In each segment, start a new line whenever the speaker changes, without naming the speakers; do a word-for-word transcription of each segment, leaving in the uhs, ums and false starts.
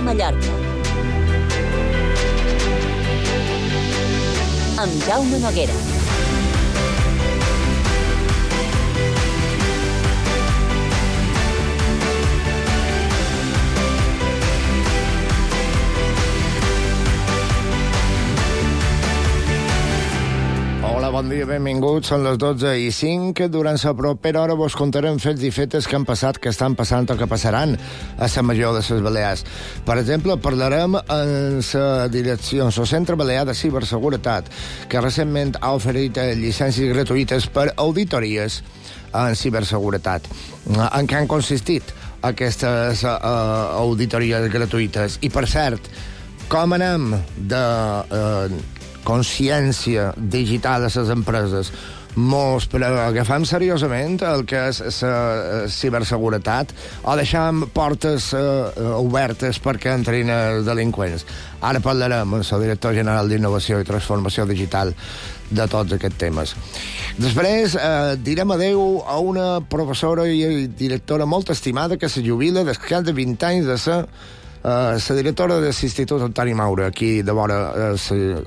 Mallorca. Amb Jaume Noguera.
Hola, bon dia, benvinguts. Són les dotze i cinc. Durant la propera hora vos contarem fets i fetes que han passat, que estan passant o que passaran a la Major de les Balears. Per exemple, parlarem en la direcció, en el Centre Balear de Ciberseguretat, que recentment ha oferit llicències gratuïtes per auditories en ciberseguretat. En què han consistit aquestes uh, auditories gratuïtes? I, per cert, com anem de... Uh, consciència digital de les empreses, mos agafem seriosament el que és la ciberseguretat o deixem portes uh, obertes perquè entrin els delinqüents. Ara parlarem amb el director general d'Innovació i Transformació Digital de tots aquests temes. Després eh, direm adeu a una professora i directora molt estimada que se jubila després de vint anys de ser Uh, la directora de l'Institut Antoni Maura, aquí de vora els uh,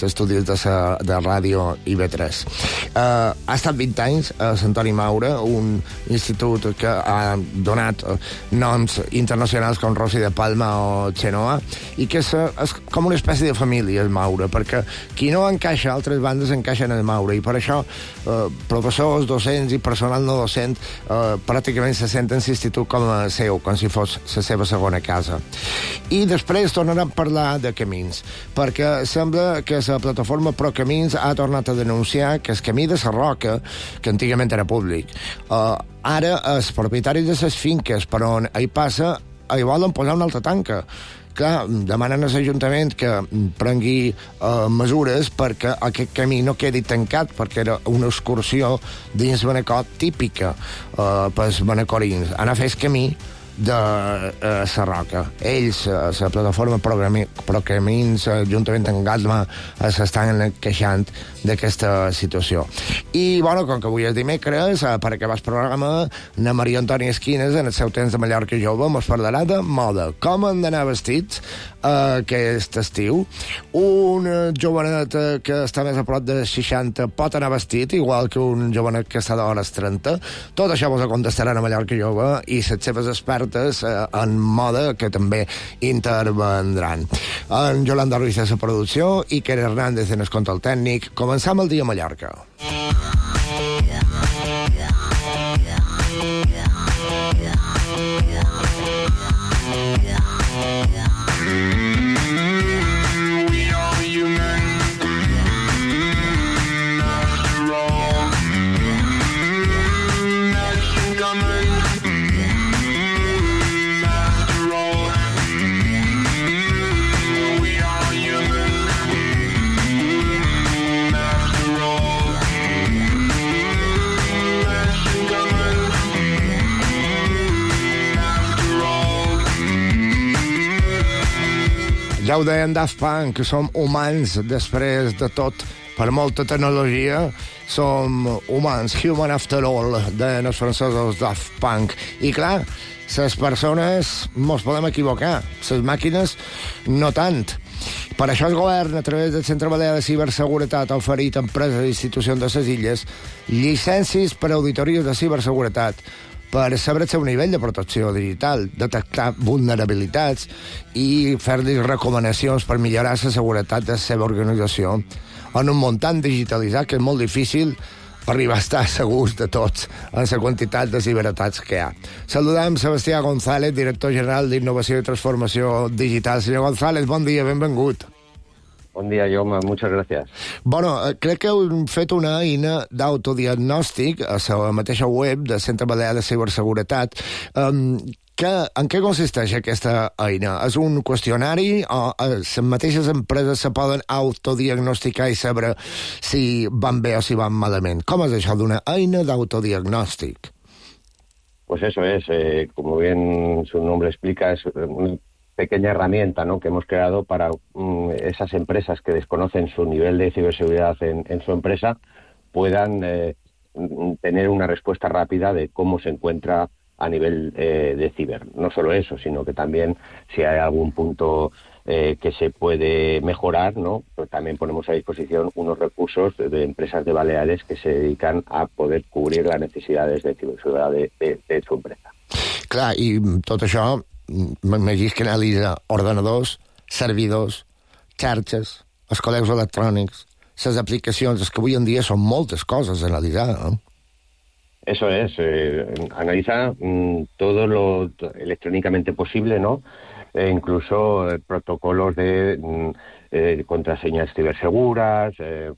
estudis de, sa, de ràdio I V tres. Uh, ha estat vint anys a Antoni Maura, un institut que ha donat uh, noms internacionals com Rossi de Palma o Xenoa, i que és, és com una espècie de família, el Maura, perquè qui no encaixa, altres bandes encaixen en el Maura, i per això uh, professors, docents i personal no docent uh, pràcticament se senten l'institut com a seu, com si fos la seva segona casa. I després tornarem a parlar de camins, perquè sembla que la plataforma ProCamins ha tornat a denunciar que el camí de la Roca, que antigament era públic, uh, ara els propietaris de les finques per on hi passa hi volen posar una altra tanca. Clar, demanen a l'Ajuntament que prengui uh, mesures perquè aquest camí no quedi tancat, perquè era una excursió dins Manacor típica uh, pels manacorins. Anar a fer el camí de la uh, Roca. Ells, uh, la plataforma ProCamins, uh, juntament amb Gatma, uh, s'estan queixant d'aquesta situació. I, bueno, com que avui és dimecres, uh, per acabar el programa, na Maria Antònia Esquines, en el seu temps de Mallorca jove, mos parlarà de moda. Com han d'anar vestits uh, aquest estiu. Un uh, jovenet uh, que està més a prop de seixanta pot anar vestit, igual que un jovenet que està d'hores trenta. Tot això vos ho contestaran a Mallorca jove i les seves expertes en moda que també intervendran. En Yolanda Ruiz de la producció i Kere Hernández en el control tècnic. Començam el dia a Mallorca. Ja ho deien Daft Punk, que som humans després de tot. Per molta tecnologia, som humans, human after all, deien els francesos Daft Punk. I clar, les persones mos podem equivocar, les màquines no tant. Per això el govern, a través del Centre Balear de Ciberseguretat, ha oferit a empreses i institucions de les illes llicències per a auditories de ciberseguretat per saber el seu nivell de protecció digital, detectar vulnerabilitats i fer-li recomanacions per millorar la seguretat de la seva organització en un muntant digitalitzat que és molt difícil arribar a estar segurs de tots en la quantitat de ciberatacs que hi ha. Saludem Sebastià González, director general d'Innovació i Transformació Digital. Senyor González, bon dia, benvingut.
Bon dia, Jaume, muchas gracias.
Bueno, crec que heu fet una eina d'autodiagnòstic a la mateixa web del Centre Balear de Ciberseguretat. Um, que, en què consisteix aquesta eina? És un qüestionari o les mateixes empreses se poden autodiagnosticar i saber si van bé o si van malament? Com és això d'una eina d'autodiagnòstic?
Pues eso es, eh, como bien su nombre explica, es una pequeña herramienta, ¿no?, que hemos creado para um, esas empresas que desconocen su nivel de ciberseguridad en, en su empresa puedan eh, tener una respuesta rápida de cómo se encuentra a nivel eh, de ciber. No solo eso, sino que también si hay algún punto eh, que se puede mejorar, ¿no? Pues también ponemos a disposición unos recursos de, de empresas de Baleares que se dedican a poder cubrir las necesidades de ciberseguridad de, de, de su empresa.
Clar, i tot això m'imagino que analitza ordenadors, servidors, xarxes, els correus electrònics, les aplicacions, és que avui en dia són moltes coses a analitzar, no?
Eso es, eh, analiza mm, todo lo electrónicamente posible, ¿no? Eh, incluso eh, protocolos de mm, eh, contraseñas ciberseguras, eh,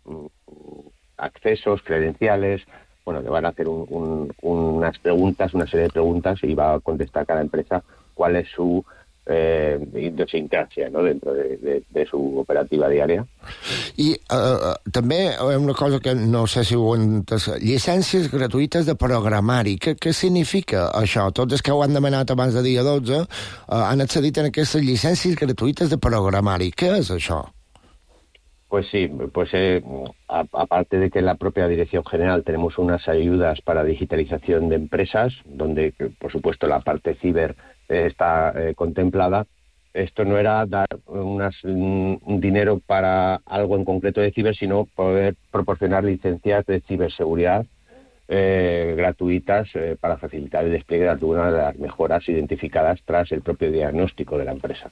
accesos, credenciales. Bueno, le van a hacer un, un, unas preguntas, una serie de preguntas y va a contestar cada empresa cuál es su eh, idiosincrasia, ¿no? Dentro de, de, de su operativa diària.
I uh, també una cosa que no sé si ho entes, llicències gratuïtes de programari. Què, què significa això? Tots els que ho han demanat abans de dia dotze uh, han accedit a aquestes llicències gratuïtes de programari. Què és això?
Pues sí, pues eh, a, aparte de que en la propia Dirección General tenemos unas ayudas para digitalización de empresas, donde, por supuesto, la parte ciber eh, está eh, contemplada. Esto no era dar unas, un, un dinero para algo en concreto de ciber, sino poder proporcionar licencias de ciberseguridad eh, gratuïtes eh, para facilitar el despliegue de algunas de las mejoras identificadas tras el propio diagnóstico de la empresa.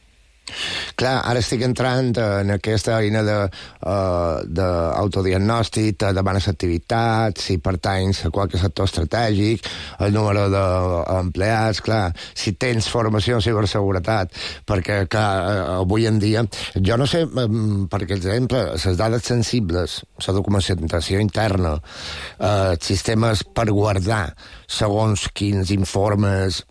Clar, ara estic entrant en aquesta eina d'autodiagnòstic, de, de bones activitats, si pertanys a qualque sector estratègic, el número d'empleats, clar, si tens formació en ciberseguretat, perquè, clar, avui en dia, jo no sé, per exemple, les dades sensibles, la documentació interna, eh, sistemes per guardar segons quins informes,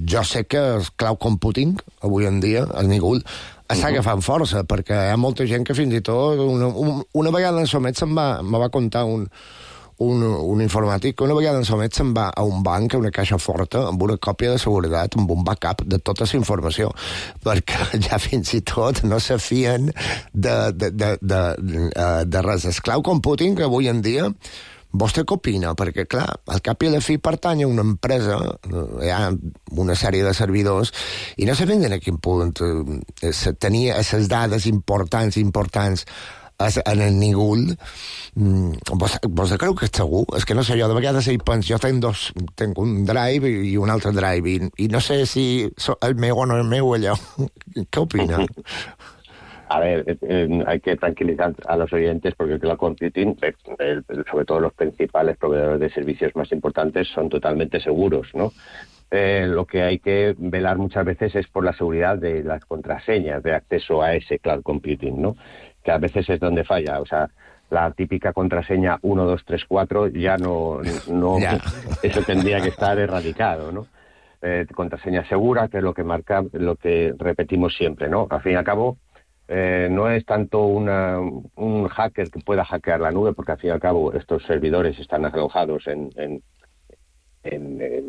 jo sé que el cloud computing, avui en dia, el Nigul, està agafant força, perquè hi ha molta gent que fins i tot, una, una vegada en Somet se'n va, me va contar un, un, un informàtic, que una vegada en Somet se'n va a un banc, a una caixa forta, amb una còpia de seguretat, amb un backup de tota la informació, perquè ja fins i tot no se fien de, de, de, de, de, de res. El cloud computing, que avui en dia, vostè què opina? Perquè, clar, al cap i a la fi pertany a una empresa, hi ha una sèrie de servidors, i no sé ben en quin punt eh, tenia les dades importants, importants en el Nigul. Vos, vos creu que és segur? És que no sé, jo de vegades hi penso, jo tenc dos, tenc un drive i un altre drive, i, i no sé si el meu o no el meu allò. Què opina?
A ver, eh, hay que tranquilizar a los oyentes porque el cloud computing, eh, eh, sobre todo los principales proveedores de servicios más importantes, son totalmente seguros, ¿no? Eh, lo que hay que velar muchas veces es por la seguridad de las contraseñas de acceso a ese cloud computing, ¿no? Que a veces es donde falla, o sea, la típica contraseña uno dos tres cuatro ya no, no yeah. Eso tendría que estar erradicado, ¿no? Eh, contraseña segura, que es lo que marca, lo que repetimos siempre, ¿no? Al fin y al cabo, Eh, no es tanto una, un hacker que pueda hackear la nube, porque al fin y al cabo estos servidores están alojados en, en, en, en,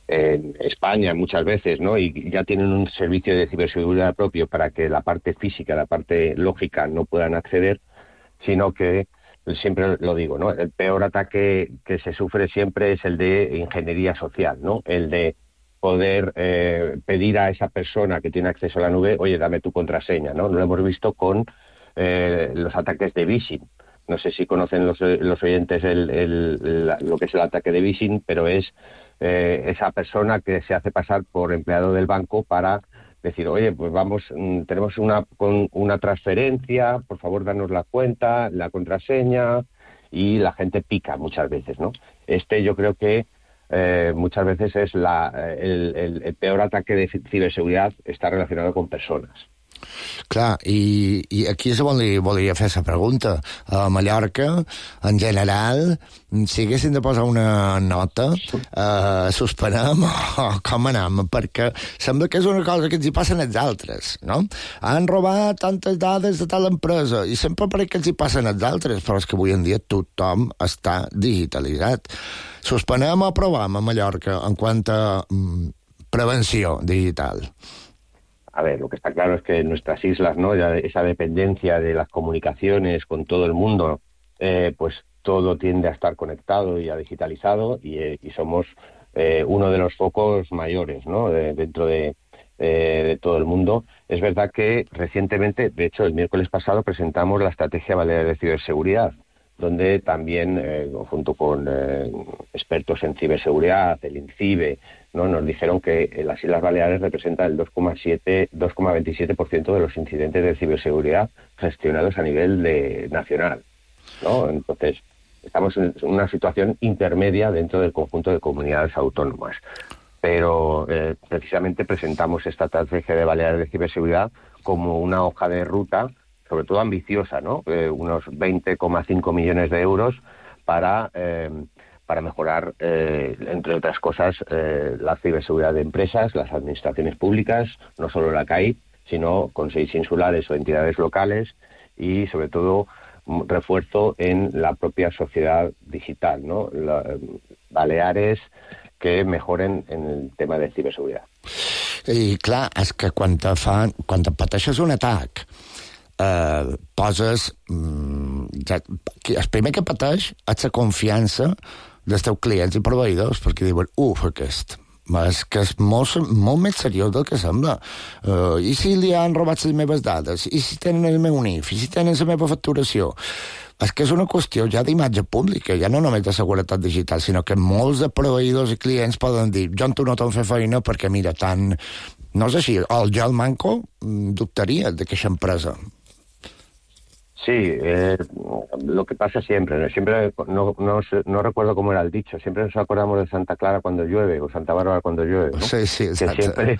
en España muchas veces, ¿no? Y ya tienen un servicio de ciberseguridad propio para que la parte física, la parte lógica no puedan acceder, sino que, siempre lo digo, ¿no? El peor ataque que se sufre siempre es el de ingeniería social, ¿no? El de poder eh, pedir a esa persona que tiene acceso a la nube, oye, dame tu contraseña, ¿no? Lo hemos visto con eh, los ataques de phishing. No sé si conocen los, los oyentes el, el, la, lo que es el ataque de phishing, pero es eh, esa persona que se hace pasar por empleado del banco para decir, oye, pues vamos, tenemos una, con una transferencia, por favor, danos la cuenta, la contraseña, y la gente pica muchas veces, ¿no? Este yo creo que Eh, muchas veces es la, el, el, el peor ataque de ciberseguridad está relacionado con personas.
Clar, i, i aquí és on li volia fer la pregunta. A Mallorca, en general, si haguessin de posar una nota, eh, suspenem o com anem, perquè sembla que és una cosa que ens hi passen als altres, no? Han robat tantes dades de tal empresa i sempre pareix que ens hi passen als altres, però és que avui en dia tothom està digitalitzat. Suspenem o aprovem a Mallorca en quant a mm, prevenció digital?
A ver, lo que está claro es que en nuestras islas, ¿no? Ya esa dependencia de las comunicaciones con todo el mundo, eh, pues todo tiende a estar conectado y a digitalizado, y, eh, y somos eh, uno de los focos mayores, ¿no? De, dentro de, eh, de todo el mundo. Es verdad que recientemente, de hecho el miércoles pasado, presentamos la Estrategia Balear de Ciberseguridad, donde también, eh, junto con eh, expertos en ciberseguridad, el INCIBE, ¿no? Nos dijeron que las Islas Baleares representan el dos coma veintisiete por ciento de los incidentes de ciberseguridad gestionados a nivel de, nacional, ¿no? Entonces, estamos en una situación intermedia dentro del conjunto de comunidades autónomas. Pero eh, precisamente presentamos esta estrategia de Baleares de ciberseguridad como una hoja de ruta, sobre todo ambiciosa, ¿no? Eh, unos veinte coma cinco millones de euros para, eh, para mejorar, eh, entre otras cosas, eh, la ciberseguridad de empresas, las administraciones públicas, no solo la C A I, sino consejos insulares o entidades locales y, sobre todo, refuerzo en la propia sociedad digital, ¿no? La, Baleares que mejoren en el tema de ciberseguridad.
I clar, és que quan te fan, quan te pateixes un atac, eh, poses... Mm, ja, el primer que pateix és la confiança dels teus clients i proveïdors, perquè diuen, uf, aquest... És que és molt, molt més seriós del que sembla. Uh, I si li han robat les meves dades? I si tenen el meu N I F? I si tenen la meva facturació? És que és una qüestió ja d'imatge pública, ja no només de seguretat digital, sinó que molts de proveïdors i clients poden dir, jo amb tu no t'ho fer feina perquè, mira, tant... No és així, el jo, el manco, dubtaria d'aquesta empresa.
Sí, eh, lo que pasa siempre, siempre no, no, no recuerdo cómo era el dicho, siempre nos acordamos de Santa Clara cuando llueve o Santa Bárbara cuando llueve, ¿no?
Sí, sí, exacto.
Que siempre,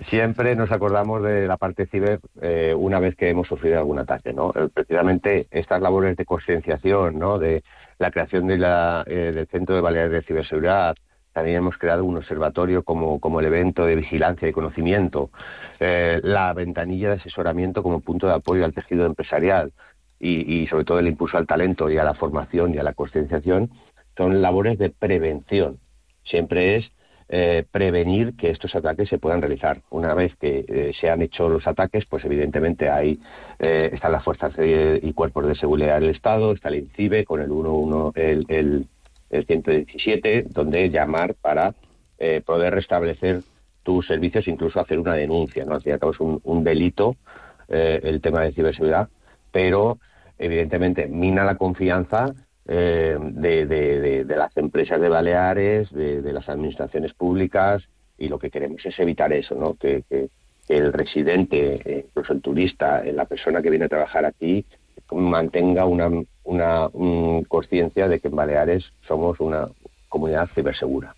siempre nos acordamos de la parte ciber eh, una vez que hemos sufrido algún ataque, ¿no? Eh, precisamente estas labores de concienciación, ¿no? De la creación de la, eh, del Centro de Baleares de Ciberseguridad. También hemos creado un observatorio como, como el evento de vigilancia y conocimiento, eh, la ventanilla de asesoramiento como punto de apoyo al tejido empresarial. Y, y sobre todo el impulso al talento y a la formación y a la concienciación, son labores de prevención. Siempre es eh, prevenir que estos ataques se puedan realizar. Una vez que eh, se han hecho los ataques, pues evidentemente hay eh, están las fuerzas de, y cuerpos de seguridad del Estado, está el INCIBE con el uno uno, el, el, el ciento diecisiete, donde llamar para eh, poder restablecer tus servicios, incluso hacer una denuncia, ¿no? Al fin y al cabo es un, un delito eh, el tema de ciberseguridad, pero evidentemente mina la confianza eh, de, de, de, de las empresas de Baleares, de, de las administraciones públicas, y lo que queremos es evitar eso, ¿no? Que, que, que el residente, incluso el turista, la persona que viene a trabajar aquí, mantenga una, una un conciencia de que en Baleares somos una comunidad cibersegura.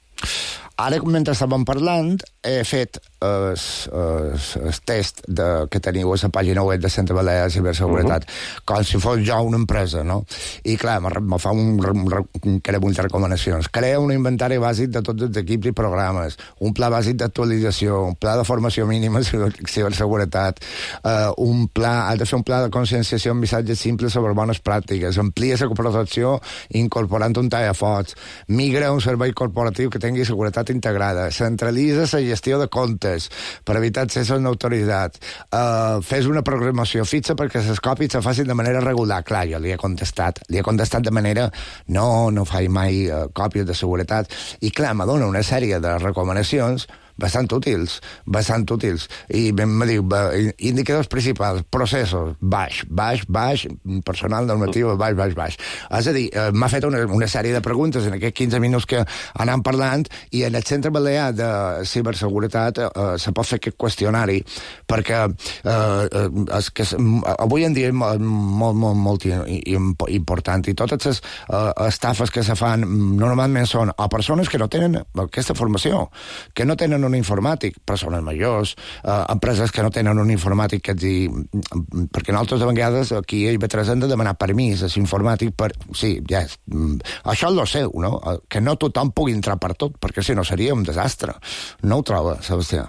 Ara, mentre estàvem parlant, he fet el, el, el test de, que teniu a la pàgina web de Centre Balear de Ciberseguretat, uh-huh. com si fos jo una empresa, no? I, clar, me fa un, un, un muchas recomanacions. Crea un inventari bàsic de tots els equips i programes, un pla bàsic d'actualització, un pla de formació mínima de ciberseguretat, uh, un pla, ha de fer un pla de conscienciació amb missatges simples sobre bones pràctiques, amplia la protecció incorporant un tallafocs, migra un servei corporatiu que tingui seguretat integrada, centralitza la gestió de comptes per evitar accessos no autoritzats, uh, fes una programació fixa perquè les còpies se facin de manera regular. Clar, jo li he contestat, li he contestat de manera no, no faig mai uh, còpies de seguretat, i clar, me dona una sèrie de recomanacions bastant útils, bastant útils. I me diu, indicadors principals, processos, baix, baix, baix, personal normatiu, baix, baix, baix. És a dir, m'ha fet una, una sèrie de preguntes en aquests quinze minuts que anàvem parlant, i en el Centre Balear de Ciberseguretat eh, se pot fer aquest qüestionari, perquè eh, és que avui en dia és molt, molt, molt important, i totes les eh, estafes que se fan normalment són a persones que no tenen aquesta formació, que no tenen un informàtic, persones majors, eh, empreses que no tenen un informàtic que et di... perquè nosaltres de vegades aquí a I B tres hem de demanar permís a l'informàtic per... Sí, ja és... Això és lo seu, no? Que no tothom pugui entrar per tot, perquè si no seria un desastre. No ho troba, Sebastià?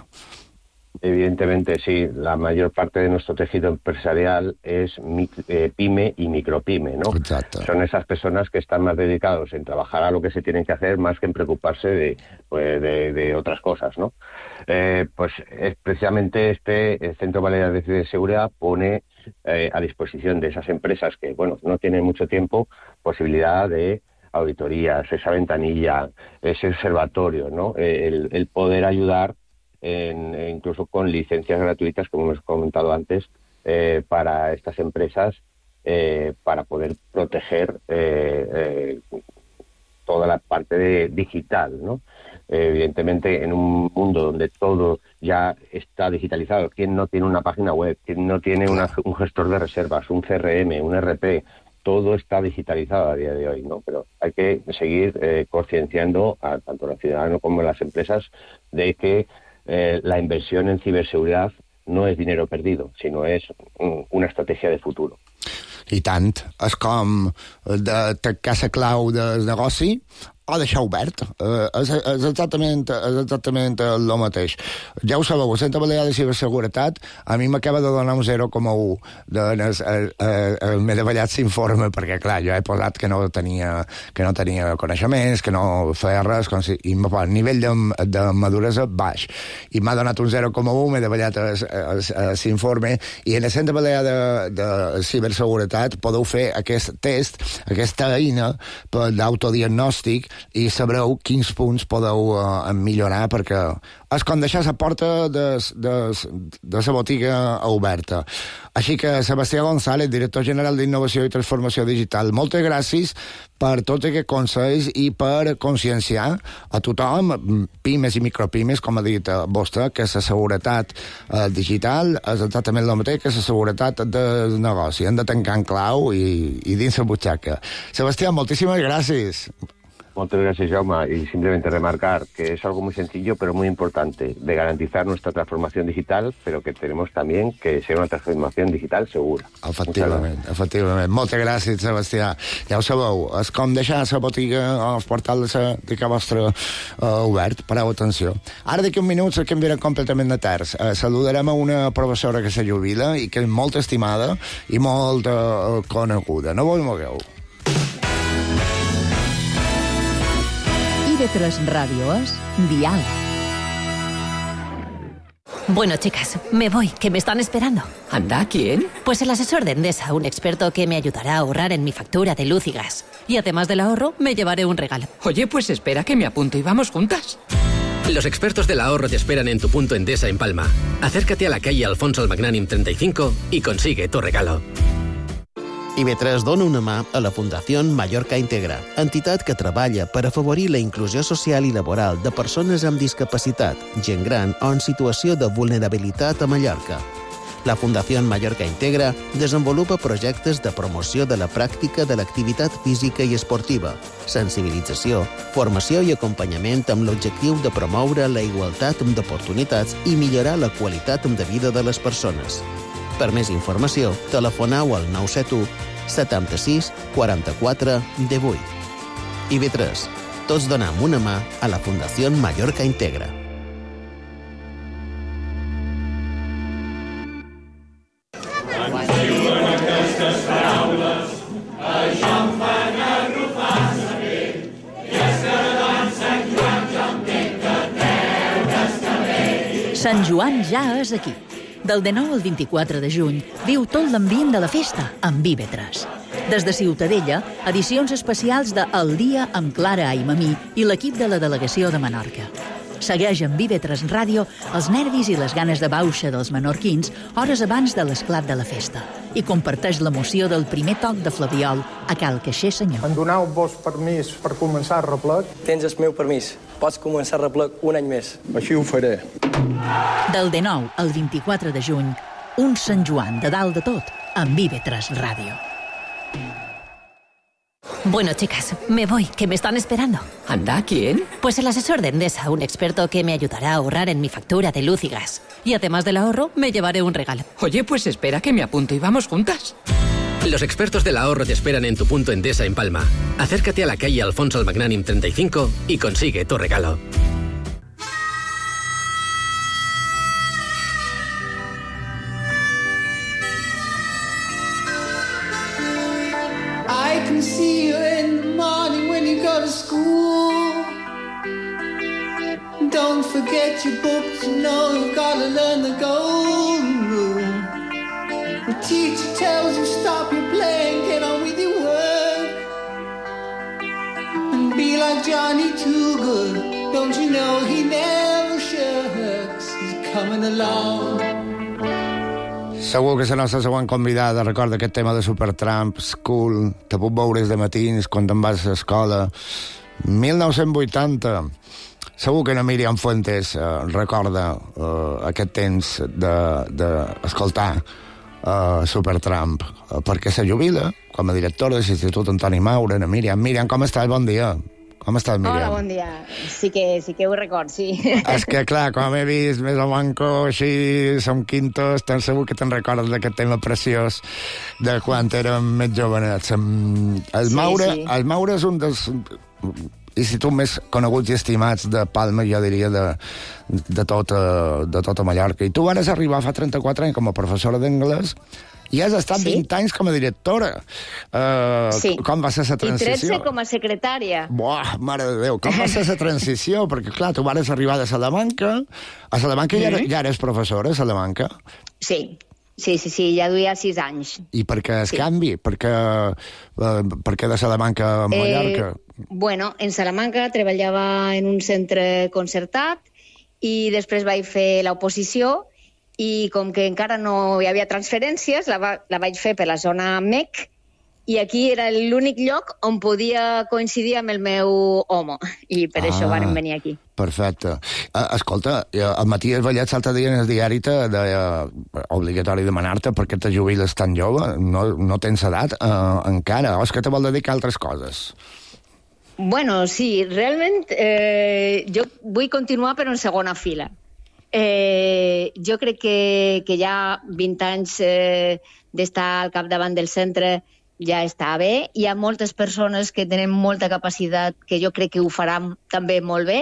Evidentemente, sí. La mayor parte de nuestro tejido empresarial es eh, pyme y micropyme, ¿no?
Exacto.
Son esas personas que están más dedicados en trabajar a lo que se tienen que hacer más que en preocuparse de, pues, de, de otras cosas, ¿no? Eh, pues es precisamente este el Centro Balear de Ciberseguridad pone eh, a disposición de esas empresas que, bueno, no tienen mucho tiempo, posibilidad de auditorías, esa ventanilla, ese observatorio, ¿no? El, el poder ayudar en, incluso con licencias gratuitas, como hemos comentado antes, eh, para estas empresas, eh, para poder proteger eh, eh, toda la parte de digital, ¿no? Eh, evidentemente, en un mundo donde todo ya está digitalizado, ¿quién no tiene una página web? ¿Quién no tiene una, un gestor de reservas, un C R M, un E R P? Todo está digitalizado a día de hoy, ¿no? Pero hay que seguir eh, concienciando a tanto los ciudadanos como a las empresas de que eh, la inversión en ciberseguridad no es dinero perdido, sino es un, una estrategia de futuro.
I tant. És com de tancar la clau del negoci o deixar obert. Uh, és, és, exactament, és exactament el mateix. Ja ho sabeu, a Santa Balear de Ciberseguretat a mi m'acaba de donar un zero coma u. Doncs, eh, eh, m'he davallat s'informe, perquè, clar, jo he posat que no tenia, que no tenia coneixements, que no feia res, com si, i m'ha posat nivell de, de maduresa baix. I m'ha donat un zero coma u, m'he davallat s'informe, i en la Santa Balear de, de Ciberseguretat podeu fer aquest test, aquesta eina d'autodiagnòstic, i sabreu quins punts podeu uh, millorar, perquè és com deixar la porta de, de, de la botiga oberta. Així que, Sebastià González, director general d'Innovació i Transformació Digital, moltes gràcies per tots aquests consells i per conscienciar a tothom, pimes i micropimes, com ha dit vostè, que la seguretat eh, digital és exactament el mateix que la seguretat del negoci. Hem de tancar en clau i, i dins la butxaca. Sebastià, moltíssimes gràcies.
Muchas gracias, Jaume, y simplemente remarcar que es algo muy sencillo pero muy importante de garantizar nuestra transformación digital, pero que tenemos también que ser una transformación digital segura.
Efectivament, efectivament. Moltes gràcies, Sebastià. Ja ho sabeu, és com deixar la botiga o el portal de la vostra uh, obert. Pareu atenció. Ara d'aquí un minut se canviarà completament de terç. Uh, saludarem a una professora que se jubila i que és molt estimada i molt uh, coneguda. No vos mogueu.
I V tres Radio es Dial.
Bueno, chicas, me voy, que me están esperando.
¿Anda? ¿Quién?
Pues el asesor de Endesa, un experto que me ayudará a ahorrar en mi factura de luz y gas. Y además del ahorro, me llevaré un regalo.
Oye, pues espera que me apunto y vamos juntas.
Los expertos del ahorro te esperan en tu punto Endesa en Palma. Acércate a la calle Alfonso el Magnànim treinta y cinco y consigue tu regalo.
I V tres dona una mà a la Fundació Mallorca Integra, entitat que treballa per afavorir la inclusió social i laboral de persones amb discapacitat, gent gran o en situació de vulnerabilitat a Mallorca. La Fundació Mallorca Integra desenvolupa projectes de promoció de la pràctica de l'activitat física i esportiva, sensibilització, formació i acompanyament amb l'objectiu de promoure la igualtat d'oportunitats i millorar la qualitat de vida de les persones. Per més informació, telefoneu al nou set u setanta-sis quaranta-quatre divuit. I V tres. Tots donem una mà a la Fundació Mallorca Integra.
Sant Joan ja és aquí. Del dinou al vint-i-quatre de juny, viu tot l'ambient de la festa amb I V tres. Des de Ciutadella, edicions especials de El Dia amb Clara Aimamí i l'equip de la delegació de Menorca. Segueix amb I V tres Ràdio els nervis i les ganes de bauxa dels menorquins hores abans de l'esclat de la festa i comparteix l'emoció del primer toc de flabiol a Cal Caixer Senyor.
Em doneu-vos permís per començar el replec?
Tens el meu permís. Pots començar el replec un any més.
Així ho faré.
Del dinou al vint-i-quatre de juny, un Sant Joan de dalt de tot amb I V tres Ràdio.
Bueno, chicas, me voy, que me están esperando.
¿Anda? ¿Quién?
Pues el asesor de Endesa, un experto que me ayudará a ahorrar en mi factura de luz y gas. Y además del ahorro, me llevaré un regalo.
Oye, pues espera que me apunto y vamos juntas.
Los expertos del ahorro te esperan en tu punto Endesa en Palma. Acércate a la calle Alfonso el Magnànim treinta y cinco y consigue tu regalo.
I can see you in the morning when you go to school. Don't forget your books, you know you've got to learn the golden rule. The teacher tells you stop your playing, get on with your work. like Johnny Too Good. Don't you know he never shucks? He's coming along.
Segur que la nostra següent convidada recorda aquest tema de Supertramp, School, te puc veure de matins quan te'n vas a l'escola. mil nou-cents vuitanta. Segur que la Míriam Fuentes eh, recorda eh, aquest temps d'escoltar de, de uh, Supertramp, uh, perquè se jubila com a directora de l'Institut Antoni Maura. La Míriam, Míriam, com estàs? Bon dia. Com estàs, Míriam?
Hola, bon dia. Sí que, sí que ho record, sí.
És que, clar, com he vist més o manco, així, som quintos, tan segur que te'n recordes d'aquest tema preciós de quan érem més jovenets. El
Sí,
Maura,
sí.
el Maura és un dels instituts més coneguts i estimats de Palma, jo diria, de, de, tota, de tota Mallorca. I tu vas arribar fa trenta-quatre anys com a professora d'anglès i has estat
Sí.
vint anys com a directora. Uh,
Sí.
Com va ser la
I tretze
transició?
com a secretària.
Buah, mare de Déu, com va ser la transició? Perquè, clar, tu vas arribar de Salamanca, a Salamanca ja, era- ja eres professora, a Salamanca,
Sí, sí, sí, sí, ja duia sis anys.
i per què el
Sí.
canvi? Per què, eh, per què de Salamanca a Mallorca?
Eh, bueno, en Salamanca treballava en un centre concertat i després vaig fer l'oposició i com que encara no hi havia transferències, la, va, la vaig fer per la zona M E C i aquí era l'únic lloc on podia coincidir amb el meu home i per
Ah.
això vàrem venir aquí.
Perfecte. Uh, escolta, eh, el Matías Vallet l'altre dia en el diari te deia obligatori demanar-te perquè te jubiles tan jove, no, no tens edat uh, encara, o és que te vol dedicar a altres coses?
Bueno, sí, realment eh, jo vull continuar però en segona fila. Eh, jo crec que, que ja vint anys eh, d'estar al capdavant del centre ja està bé. Hi ha moltes persones que tenen molta capacitat que jo crec que ho faran també molt bé.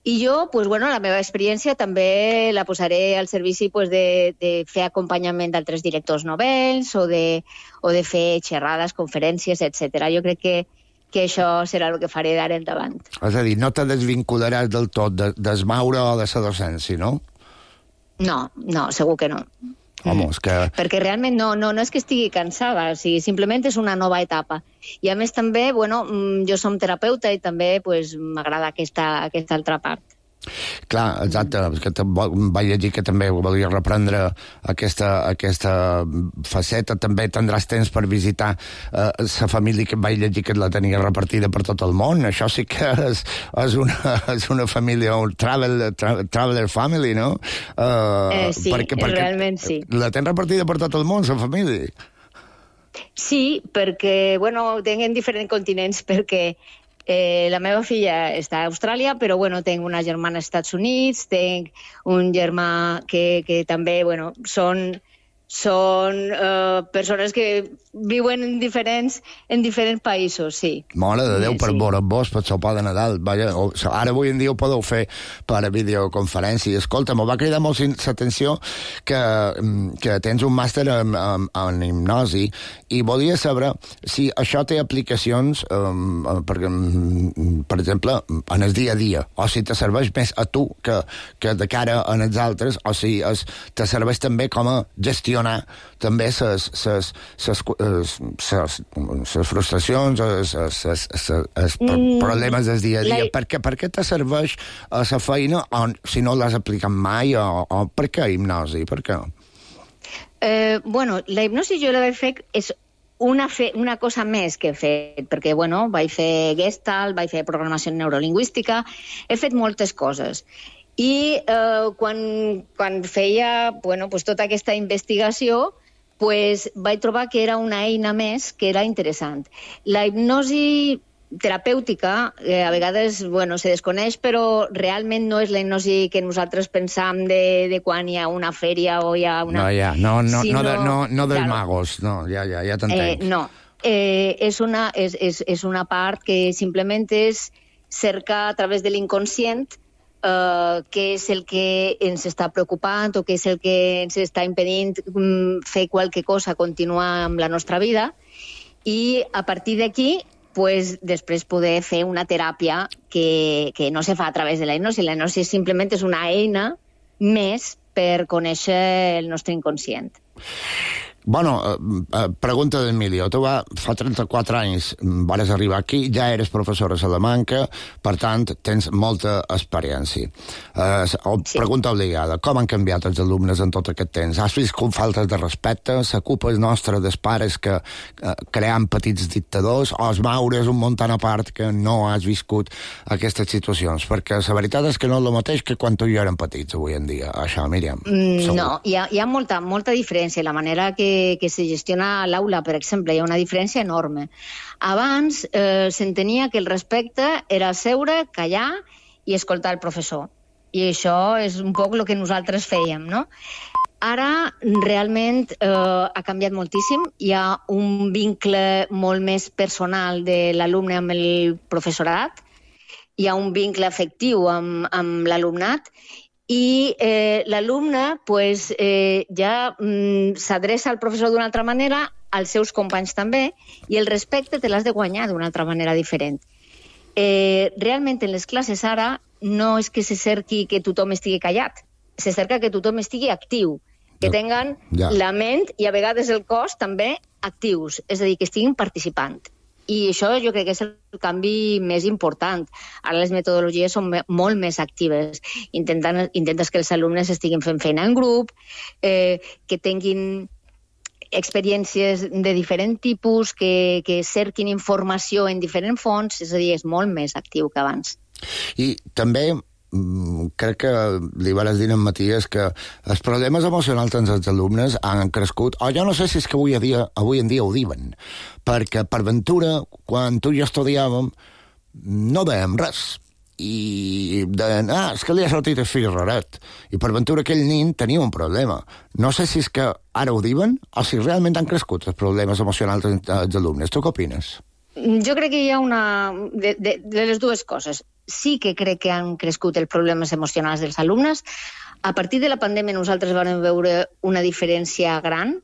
I jo, pues, bueno, la meva experiència també la posaré al servici pues, de, de fer acompanyament d'altres directors novells o de, o de fer xerrades, conferències, etcètera. Jo crec que que això serà el que faré d'ara endavant.
És a dir, no te desvincularàs del tot de, del Maure o de la docència, no?
No, no, segur que no.
Home, és que...
Perquè realment no, no, no és que estigui cansada, o sigui, simplement és una nova etapa. I a més també, bueno, mm, jo som terapeuta i també pues, m'agrada aquesta, aquesta altra part.
Clar, exacte, que te- vaig llegir que també volia reprendre aquesta, aquesta faceta, també tindràs temps per visitar la eh, família que vaig llegir que la tenia repartida per tot el món. Això sí que és, és, una, és una família, un travel, tra, traveler family, no? Uh,
Eh, sí, realment sí.
La tens repartida per tot el món, la família?
Sí, perquè, bueno, tinc en diferents continents, perquè eh, la meva filla està a Austràlia, però, bueno, tinc una germana als Estats Units, tinc un germà que, que també, bueno, són, són eh, persones que viuen en diferents, en diferents països, sí.
Mare de Déu,
Sí,
per
sí.
veure's vos, per sopar de Nadal. Vaja, o, ara avui en dia ho podeu fer per a videoconferència. Escolta, m'ho va cridar molt l'atenció que, mm, que tens un màster en, en, en hipnosi i volia saber si això té aplicacions, um, per, mm, per exemple, en el dia a dia, o si te serveix més a tu que, que de cara a els altres, o si es, te serveix també com a gestionar també ses, ses, ses, ses, ses, ses frustracions, ses, ses, ses, ses
Mm,
problemes del dia a dia.
la-
Per què, per què te serveix a la feina, o si no l'has aplicat mai, o, o per què hipnosi? Per què?
Eh, bueno, la hipnosi jo la vaig fer és una, fe, una cosa més que he fet, perquè, bueno, vaig fer Gestalt, vaig fer programació neurolingüística, he fet moltes coses. I eh, quan, quan feia bueno, pues, tota aquesta investigació, pues, vaig trobar que era una eina més que era interessant. La hipnosi terapèutica eh, a vegades bueno, se desconeix, però realment no és la hipnosi que nosaltres pensam de, de quan hi ha una fèria o hi ha una...
No, ja, no, no,
sinó-
no, de, no, no dels
Claro.
magos, no, ja, ja, ja
Eh,
t'entenc.
no, eh, és, una, és, és, és una part que simplement és cercar a través de l'inconscient eh, què és el que ens està preocupant o què és el que ens està impedint mm, fer qualque cosa, continuar amb la nostra vida, i a partir d'aquí pues, després poder fer una teràpia que, que no se fa a través de la hipnosi. La hipnosi simplement és una eina més per conèixer el nostre inconscient.
Bueno, eh, pregunta d'Emilio. Tu va, fa trenta-quatre anys vas arribar aquí, ja eres professora a Salamanca, per tant, tens molta experiència. Eh, sí. Pregunta obligada. Com han canviat els alumnes en tot aquest temps? Has vist com faltes de respecte? La culpa és nostra dels pares que eh, creant petits dictadors? O els maures un muntant a part que no has viscut aquestes situacions? Perquè la veritat és que no és el mateix que quan tu i jo érem petits avui en dia. Això, Míriam.
Mm, no, hi ha, hi ha molta, molta diferència. La manera que que se gestiona l'aula, per exemple, hi ha una diferència enorme. Abans eh, s'entenia que el respecte era seure, callar i escoltar el professor. I això és un poc el que nosaltres fèiem, no? Ara, realment, eh, ha canviat moltíssim. Hi ha un vincle molt més personal de l'alumne amb el professorat, hi ha un vincle afectiu amb, amb l'alumnat, i eh, l'alumne pues, eh, ja mm, s'adreça al professor d'una altra manera, als seus companys també, i el respecte te l'has de guanyar d'una altra manera diferent. Eh, realment, en les classes ara, no és que se cerqui que tothom estigui callat, se cerca que tothom estigui actiu, que tinguen ja. la ment i a vegades el cos també actius, és a dir, que estiguin participant. I això jo crec que és el canvi més important. Ara les metodologies són molt més actives. Intenten, intentes que els alumnes estiguin fent feina en grup, eh, que tinguin experiències de diferent tipus, que, que cerquin informació en diferents fonts, és a dir, és molt més actiu que abans.
I també crec que li vas dir a en Matías que els problemes emocionals dels alumnes han crescut, o jo no sé si és que avui, a dia, avui en dia ho diuen, perquè per ventura, quan tu i jo estudiàvem, no dèiem res. I deien, ah, és que li ha sortit el fill raret. I per ventura aquell nin tenia un problema. No sé si és que ara ho diuen o si realment han crescut els problemes emocionals dels alumnes. Tu què opines?
Jo crec que hi ha una... de, de, de les dues coses. Sí que crec que han crescut els problemes emocionals dels alumnes. A partir de la pandèmia nosaltres vam veure una diferència gran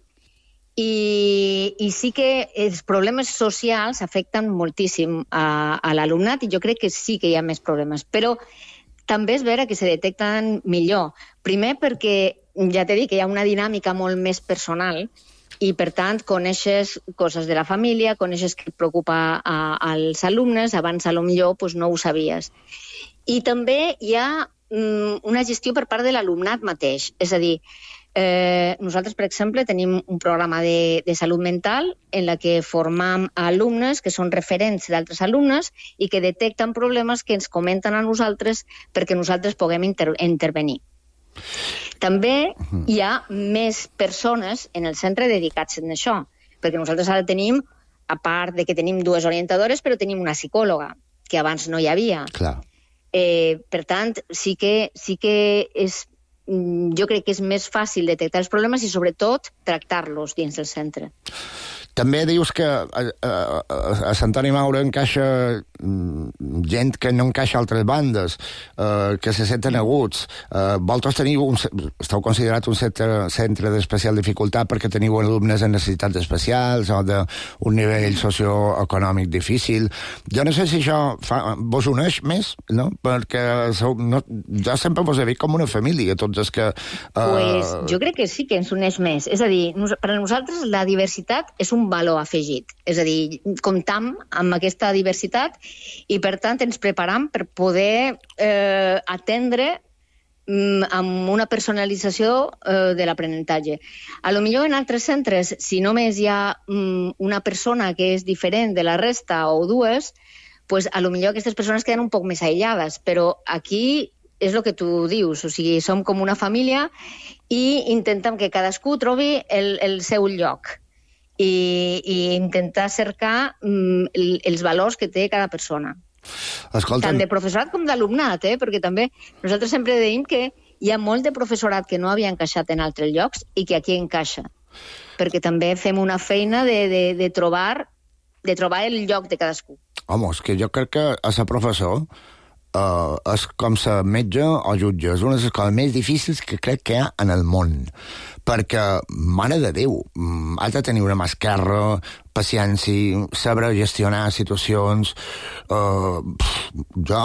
i, i sí que els problemes socials afecten moltíssim a, a l'alumnat i jo crec que sí que hi ha més problemes. Però també és vera que se detecten millor. Primer perquè, ja t'he dit, que hi ha una dinàmica molt més personal i, per tant, coneixes coses de la família, coneixes què et preocupa a, als alumnes, abans, a lo millor, doncs, no ho sabies. I també hi ha mm, una gestió per part de l'alumnat mateix. És a dir, eh, nosaltres, per exemple, tenim un programa de, de salut mental en la que formam alumnes que són referents d'altres alumnes i que detecten problemes que ens comenten a nosaltres perquè nosaltres puguem inter intervenir. També hi ha més persones en el centre dedicats a això, perquè nosaltres ara tenim, a part de que tenim dues orientadores, però tenim una psicòloga, que abans no hi havia.
Clar.
Eh, per tant, sí que, sí que és, jo crec que és més fàcil detectar els problemes i, sobretot, tractar-los dins del centre.
També dius que a, a, a Sant Antoni Maure encaixa gent que no encaixa a altres bandes, eh, que se senten aguts. Eh, vosaltres teniu un, esteu considerat un centre, centre d'especial dificultat perquè teniu alumnes amb necessitats especials o d'un nivell socioeconòmic difícil. Jo no sé si això fa, vos uneix més, no? Perquè sou, no, jo sempre vos he vist com una família, tots els que... Eh...
Pues jo crec que sí que ens uneix més. És a dir, nos, per a nosaltres la diversitat és un valor afegit. És a dir, comptam amb aquesta diversitat i, per tant, ens preparam per poder eh, atendre mm, amb una personalització eh, de l'aprenentatge. A lo millor en altres centres, si només hi ha mm, una persona que és diferent de la resta o dues, pues, a lo millor aquestes persones queden un poc més aïllades, però aquí és el que tu dius, o sigui, som com una família i intentem que cadascú trobi el, el seu lloc. I, i intentar cercar mm, els valors que té cada persona.
Escolta'm.
Tant de professorat com d'alumnat, eh? Perquè també nosaltres sempre deim que hi ha molt de professorat que no havia encaixat en altres llocs i que aquí encaixa. Perquè també fem una feina de, de, de, trobar, de trobar el lloc de cadascú.
Home, és que jo crec que a ser professor Uh, és com ser metge o jutge. És una de les coses més difícils que crec que hi ha en el món. Perquè, mare de Déu, has de tenir una mà esquerra paciència, saber gestionar situacions. Uh, jo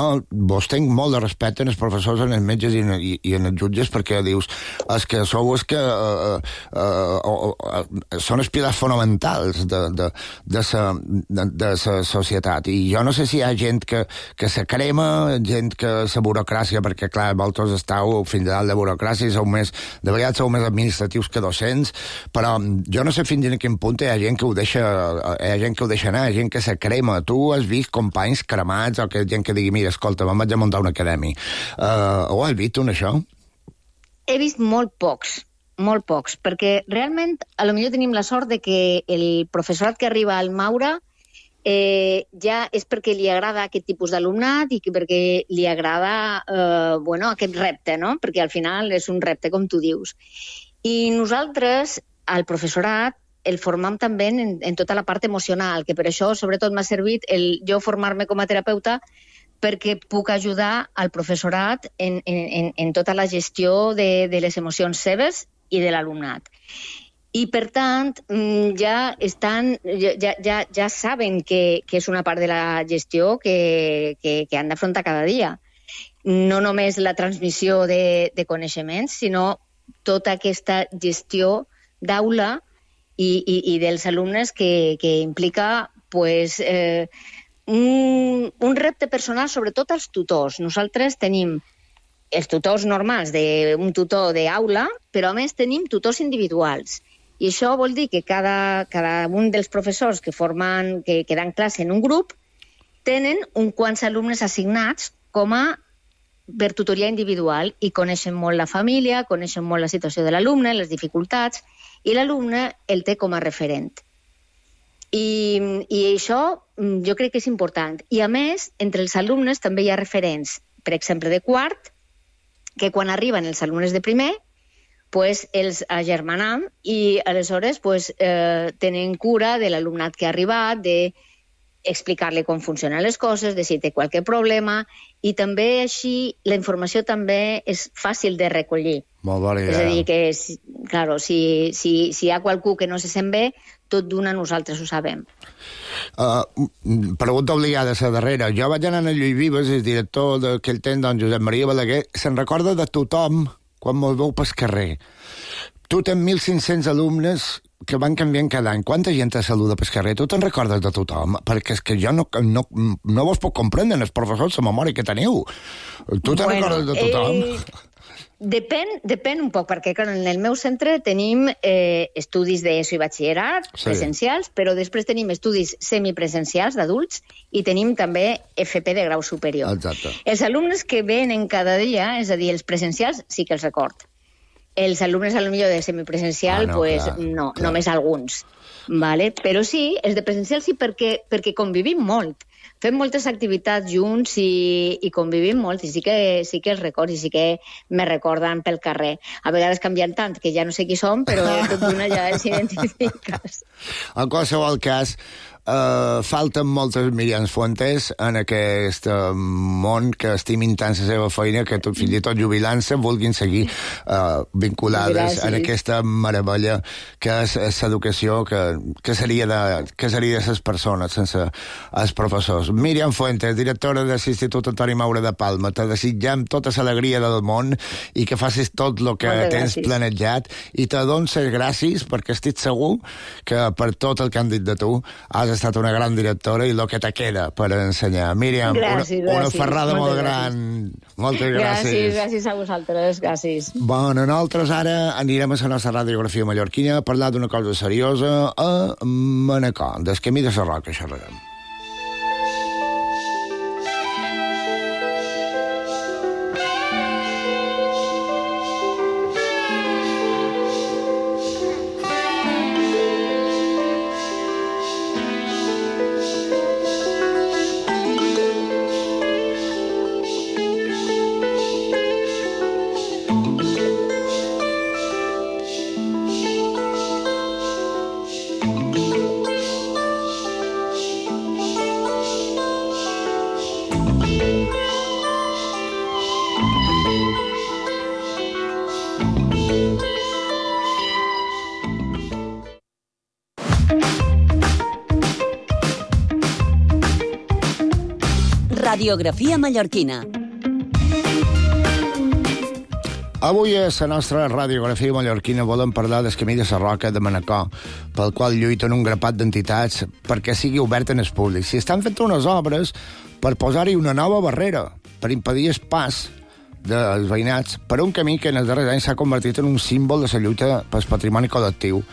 vos tinc molt de respecte en els professors, en els metges i en, i, i en els jutges, perquè dius, és que sou els que uh, uh, uh, uh, són els pilars fonamentals de, de, de, sa, de, de sa societat. I jo no sé si hi ha gent que, que se crema, gent que la burocràcia, perquè clar, vosaltres esteu fins a dalt de burocràcia i sou més, de vegades sou més administratius que docents, però jo no sé fins a quin punt hi ha gent que ho deixa, hi ha gent que ho deixa anar, hi ha gent que se crema. Tu has vist companys cremats o que gent que digui, mira, escolta, me'n vaig a muntar una acadèmia. Uh, ho has vist, tu, això?
He vist molt pocs, molt pocs, perquè realment a lo millor tenim la sort de que el professorat que arriba al Maura eh, ja és perquè li agrada aquest tipus d'alumnat i que perquè li agrada eh, bueno, aquest repte, no? Perquè al final és un repte, com tu dius. I nosaltres, al professorat, el formam també en, en tota la part emocional, que per això sobretot m'ha servit el jo formar-me com a terapeuta perquè puc ajudar al professorat en, en, en tota la gestió de, de les emocions seves i de l'alumnat. I, per tant, ja estan, ja, ja, ja saben que, que és una part de la gestió que, que, que han d'afrontar cada dia. No només la transmissió de, de coneixements, sinó tota aquesta gestió d'aula I, i, i dels alumnes que, que implica pues, eh, un, un repte personal, sobretot als tutors. Nosaltres tenim els tutors normals d'un tutor d'aula, però a més tenim tutors individuals. I això vol dir que cada, cada un dels professors que formen, que, que dan classe en un grup, tenen un quants alumnes assignats com a per tutoria individual i coneixen molt la família, coneixen molt la situació de l'alumne, les dificultats, i l'alumne el té com a referent. I, I això jo crec que és important. I a més, entre els alumnes també hi ha referents, per exemple, de quart, que quan arriben els alumnes de primer, pues, els agermanam i aleshores pues, eh, tenen cura de l'alumnat que ha arribat, de explicar-li com funcionen les coses, de si té qualque problema, i també així la informació també és fàcil de recollir.
Molt bona idea.
És a dir, que si, claro, si, si, si hi ha qualcú que no se sent bé, tot d'una nosaltres ho sabem.
Uh, pregunta obligada a la darrera. Jo vaig anar a Lluís Vives, el director d'aquell temps, don Josep Maria Balaguer, se'n recorda de tothom quan me'l veu pel carrer. Tu tens mil cinc-cents alumnes que van canviant cada any. Quanta gent te saluda pel carrer? Tu te'n recordes de tothom? Perquè és que jo no, no, no vos puc comprendre, els professors, la memòria que teniu. Tu te'n bueno, recordes de tothom?
Eh, depèn, depèn un poc, perquè clar, en el meu centre tenim eh, estudis d'ESO i batxillerat sí. presencials, però després tenim estudis semipresencials d'adults i tenim també F P de grau superior.
Exacte.
Els alumnes que venen cada dia, és a dir, els presencials, sí que els record. Els alumnes, a lo millor, de semipresencial, ah, no, pues, clar, no, clar. Només alguns. Vale? Però sí, els de presencial sí, perquè, perquè convivim molt. Fem moltes activitats junts i, i convivim molt, i sí que, sí que els records, i sí que me recorden pel carrer. A vegades canvien tant que ja no sé qui som, però tot d'una ja els identifiques.
En qualsevol cas, Uh, falten moltes Míriams Fuentes en aquest uh, món que estimin tant la seva feina que tot, fins i tot jubilant-se vulguin seguir uh, vinculades Gràcies. En aquesta meravella que és l'educació que, que seria de que seria de les persones sense els professors. Míriam Fuentes, directora de l'Institut Antoni Maura de Palma, te desitgem tota l'alegria del món i que facis tot el que Moltes tens gràcies. Planejat i te dono les gràcies perquè estic segur que per tot el que han dit de tu has estat una gran directora i el que te queda per ensenyar. Míriam,
gràcies,
una, una
gràcies.
ferrada
Moltes
molt
gràcies.
gran. Moltes gràcies.
Gràcies, gràcies a vosaltres, gràcies.
Bueno, nosaltres ara anirem a la nostra radiografia mallorquina a parlar d'una cosa seriosa a Manacor, del camí de la Roca xerrarem.
Radiografia mallorquina.
Avui a la nostra radiografia mallorquina volem parlar del camí de la Roca de Manacor, pel qual lluiten un grapat d'entitats perquè sigui obert en el públic. Si estan fent unes obres per posar-hi una nova barrera, per impedir el pas dels veïnats per un camí que en els darrers anys s'ha convertit en un símbol de la lluita pel patrimoni col·lectiu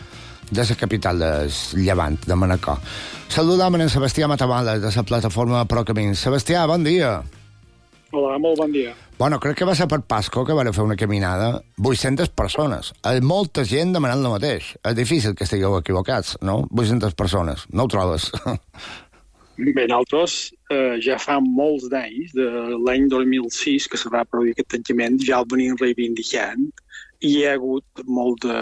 de la capital del Llevant, de Manacor. Saludam en Sebastià Matamala, de la plataforma Procamins. Sebastià, bon dia.
Hola, molt bon dia.
Bueno, crec que va ser per Pasco que van fer una caminada. vuit-centes persones. És molta gent demanant el mateix. És difícil que estigueu equivocats, no? vuit-centes persones. No ho trobes?
Bé, nosaltres eh, ja fa molts d'anys, de l'any dos mil sis, que se va produir aquest tancament, ja el venim reivindicant i hi ha hagut molt de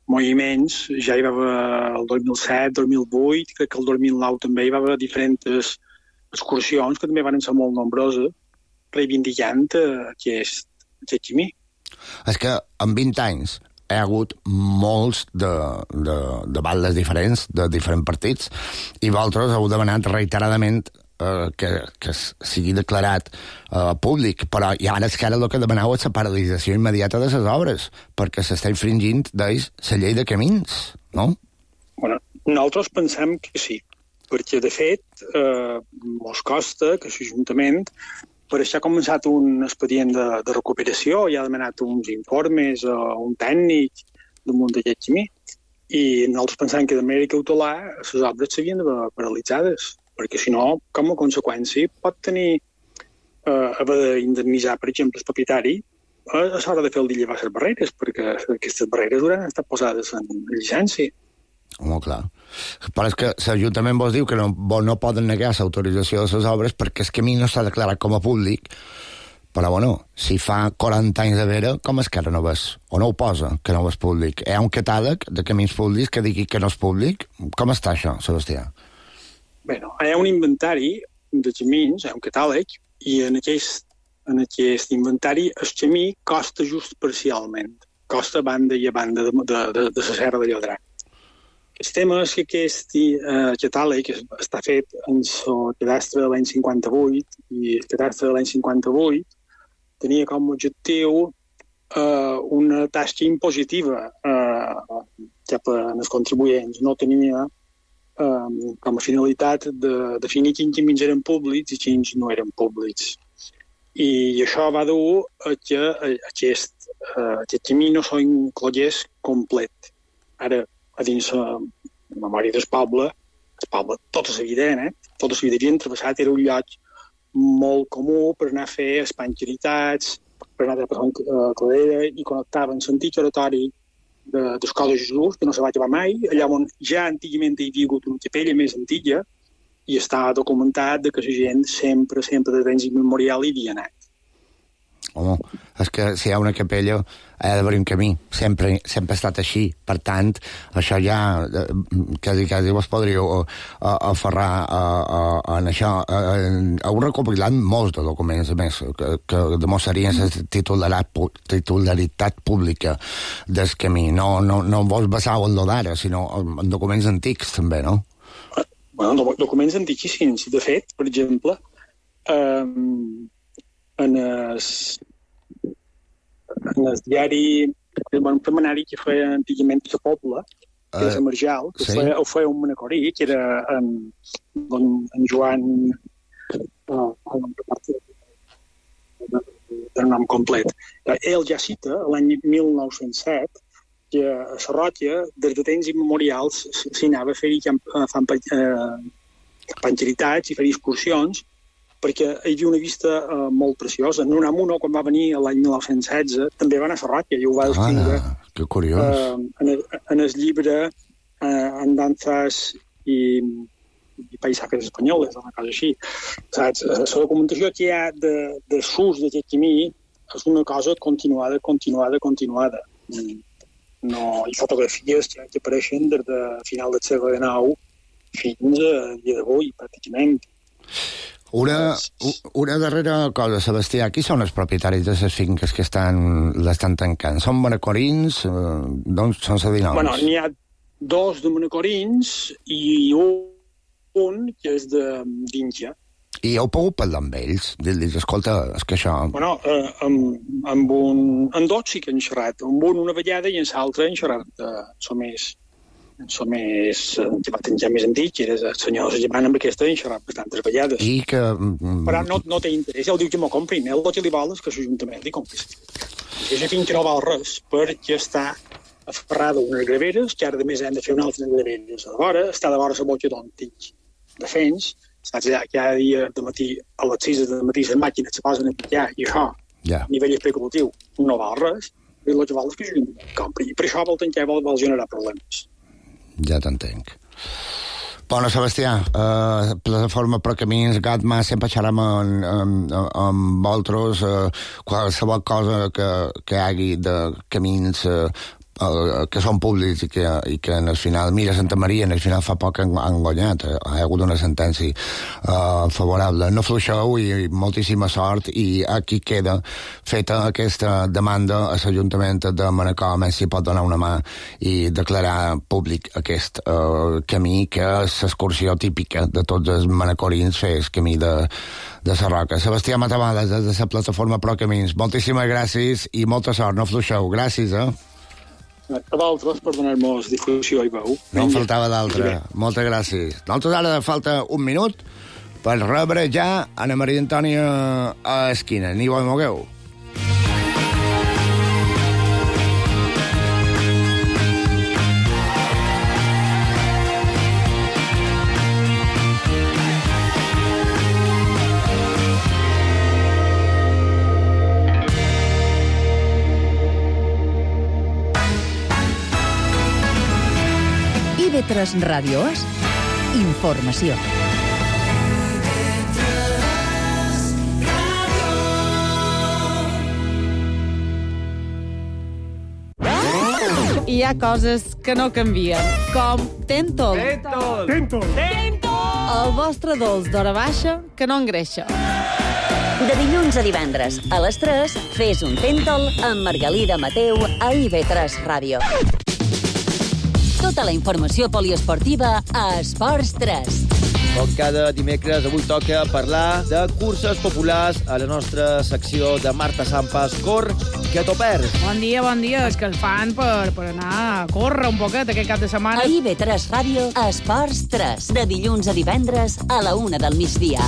moviments. Ja hi va haver el dos mil set, dos mil vuit, crec que el dos mil nou també hi va haver diferents excursions que també van ser molt nombroses, reivindicant aquest, aquest camí.
És que en vint anys hi ha hagut molts de, de, de baldes diferents, de diferents partits, i vosaltres heu demanat reiteradament eh, que, que sigui declarat eh, públic, però i ara és que ara el que demaneu és la paralització immediata de les obres, perquè s'està infringint d'ells la llei de camins, no?
Bueno, nosaltres pensem que sí, perquè de fet eh, mos costa que l'Ajuntament per això ha començat un expedient de, de recuperació, ja ha demanat uns informes a un tècnic damunt d'aquest camí, i nosaltres pensem que de manera cautelar les obres s'havien d'haver paralitzades, perquè si no, com a conseqüència, pot tenir eh, haver d'indemnitzar, per exemple, el propietari a l'hora de fer el llevar les barreres, perquè aquestes barreres hauran estat posades en llicència.
Molt clar. Però és que l'Ajuntament vos diu que no, no poden negar l'autorització de les obres perquè el camí no s'ha declarat com a públic, però bueno, si fa quaranta anys de vera, com és que ara no ves? O no ho posa, que no és públic? Hi ha un catàleg de camins públics que digui que no és públic? Com està això, Sebastià?
Bé, no, hi ha un inventari de camins, hi ha un catàleg, i en aquest, en aquest inventari el camí costa just parcialment. Costa banda i a banda de, de, de, de la Serra de Llodrà. El tema és que aquest eh, catàleg està fet en el cadastre de l'any cinquanta-vuit i el cadastre de l'any cinquanta-vuit tenia com a objectiu eh, una tasca impositiva eh, cap als contribuents. No tenia eh, com a finalitat de definir quins camins eren públics i quins no eren públics. I això va dur a que aquest, eh, aquest camí no s'inclogués complet. Ara, a dins la memòria del poble, el poble tota la vida, eh? tota la vida havien travessat, era un lloc molt comú per anar a fer espanxeritats, per anar a passar a Cladera i connectaven l'antic oratori de, d'Escola de Jesús, que no se va acabar mai, allà on ja antigament hi havia hagut una capella més antiga i està documentat de que la gent sempre, sempre de temps immemorial hi havia anat.
Home, és que si hi ha una capella ha d'haver un camí, sempre, sempre ha estat així. Per tant, això ja quasi, quasi vos podríeu aferrar a, a, a, a això. Heu recopilat molts de documents, a més, que, que demostrarien la titularitat, titularitat pública del camí. No, no, no vos basau en lo d'ara, sinó en documents antics, també, no?
Bueno, documents antiquíssims. De fet, per exemple, eh, en el, en el diari, en un setmanari que feia antigament a Poble, que uh, és a Marjal, que sí. feia, ho feia un manacorí, que era en, en, en Joan, uh, el nom complet. Ell ja cita, l'any mil nou-cents set, que a Sarròquia, des de temps immemorials, s'hi anava a fer-hi panxeritats i fer excursions, perquè hi havia una vista uh, molt preciosa. Nunamuno, quan va venir l'any mil nou-cents setze, també va anar a Sarròquia i ho va descriure.
Ah, que curiós. Uh,
en, el, en el llibre uh, Andanzas i, i Paisajes Espanyoles, una cosa així. Saps? La documentació que hi ha de, de s'ús d'aquest camí és una cosa continuada, continuada, continuada. No, hi ha fotografies que, que apareixen des de final del segle nou fins a dia d'avui, pràcticament.
Una, una darrera cosa, Sebastià. Qui són els propietaris de les finques que estan, l'estan tancant? Són manacorins? Doncs són sedinols?
Bueno, n'hi ha dos de manacorins i un, un que és de d'Índia.
I heu pogut parlar amb ells? Dir-los, escolta, és que això...
Bueno, eh, amb, amb, un, amb dos sí que han xerrat. Amb un una vegada i amb l'altre han xerrat. Eh, som més... Som més... Ja més antic, i el senyor Germán amb aquesta han xerrat bastantes vegades.
I que...
Però no, no té interès. Ja ho diu que m'ho comprin. El que li vol és que l'Ajuntament li compri. I això fins que no val res, perquè està aferrada a unes graveres, que ara a més hem de fer unes altres graveres a vora, està de vora la boja d'un tic de fens, saps, ja, cada dia de matí, a les sis de matí, les màquines se posen a picar, i això,
yeah.
a nivell especulatiu, no val res, i el que val és que jo compri. I per això vol tancar, vol, vol generar problemes.
Ja t'entenc. Bueno, Sebastià, eh, plataforma per camins, Gatma, sempre xerram amb, amb, amb vosaltres, eh, qualsevol cosa que, que hi hagi de camins eh, que són públics i que, i que en el final, mira, Santa Maria en el final fa poc han, han guanyat, eh? Hi ha hagut una sentència uh, favorable. No fluixeu i moltíssima sort, i aquí queda feta aquesta demanda a l'Ajuntament de Manacor, més si pot donar una mà i declarar públic aquest uh, camí, que és l'excursió típica de tots els manacorins, fer el camí de, de la Roca. Sebastià Matamales, des de la plataforma Pro Camins, moltíssimes gràcies i molta sort, no fluixeu. Gràcies, eh?
A vosaltres per donar-nos difusió i veu.
No en faltava d'altra. Moltes gràcies. Nosaltres ara falta un minut per rebre ja Anna Maria Antònia a esquina. Ni ho mogueu.
I ve tres Ràdio és informació.
Hi ha coses que no canvien, com Tentol.
Tentol. Tentol. Tentol.
El vostre dolç d'hora baixa que no engreixa.
De dilluns a divendres, a les tres, fes un Tentol amb Margalida Mateu a I V tres Ràdio. Tota la informació poliesportiva a Esports tres.
Com cada dimecres, avui toca parlar de curses populars a la nostra secció de Marta Sampas. Cor, que t'ho perds.
Bon dia, bon dia. És que el fan per, per anar a córrer un poquet aquest cap de setmana.
A I V tres Ràdio, Esports tres. De dilluns a divendres a la una del migdia.